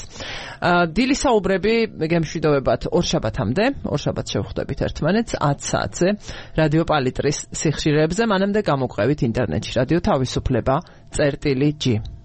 დილის საუბრები გემშვიდობებათ ორ შაბათამდე, ორ შაბათს შევხვდებით ერთმანეთს 10 საათზე რადიო პალიტრის სიხშირეებზე. მანამდე გამოგვყევით ინტერნეტში რადიო თავისუფლება.g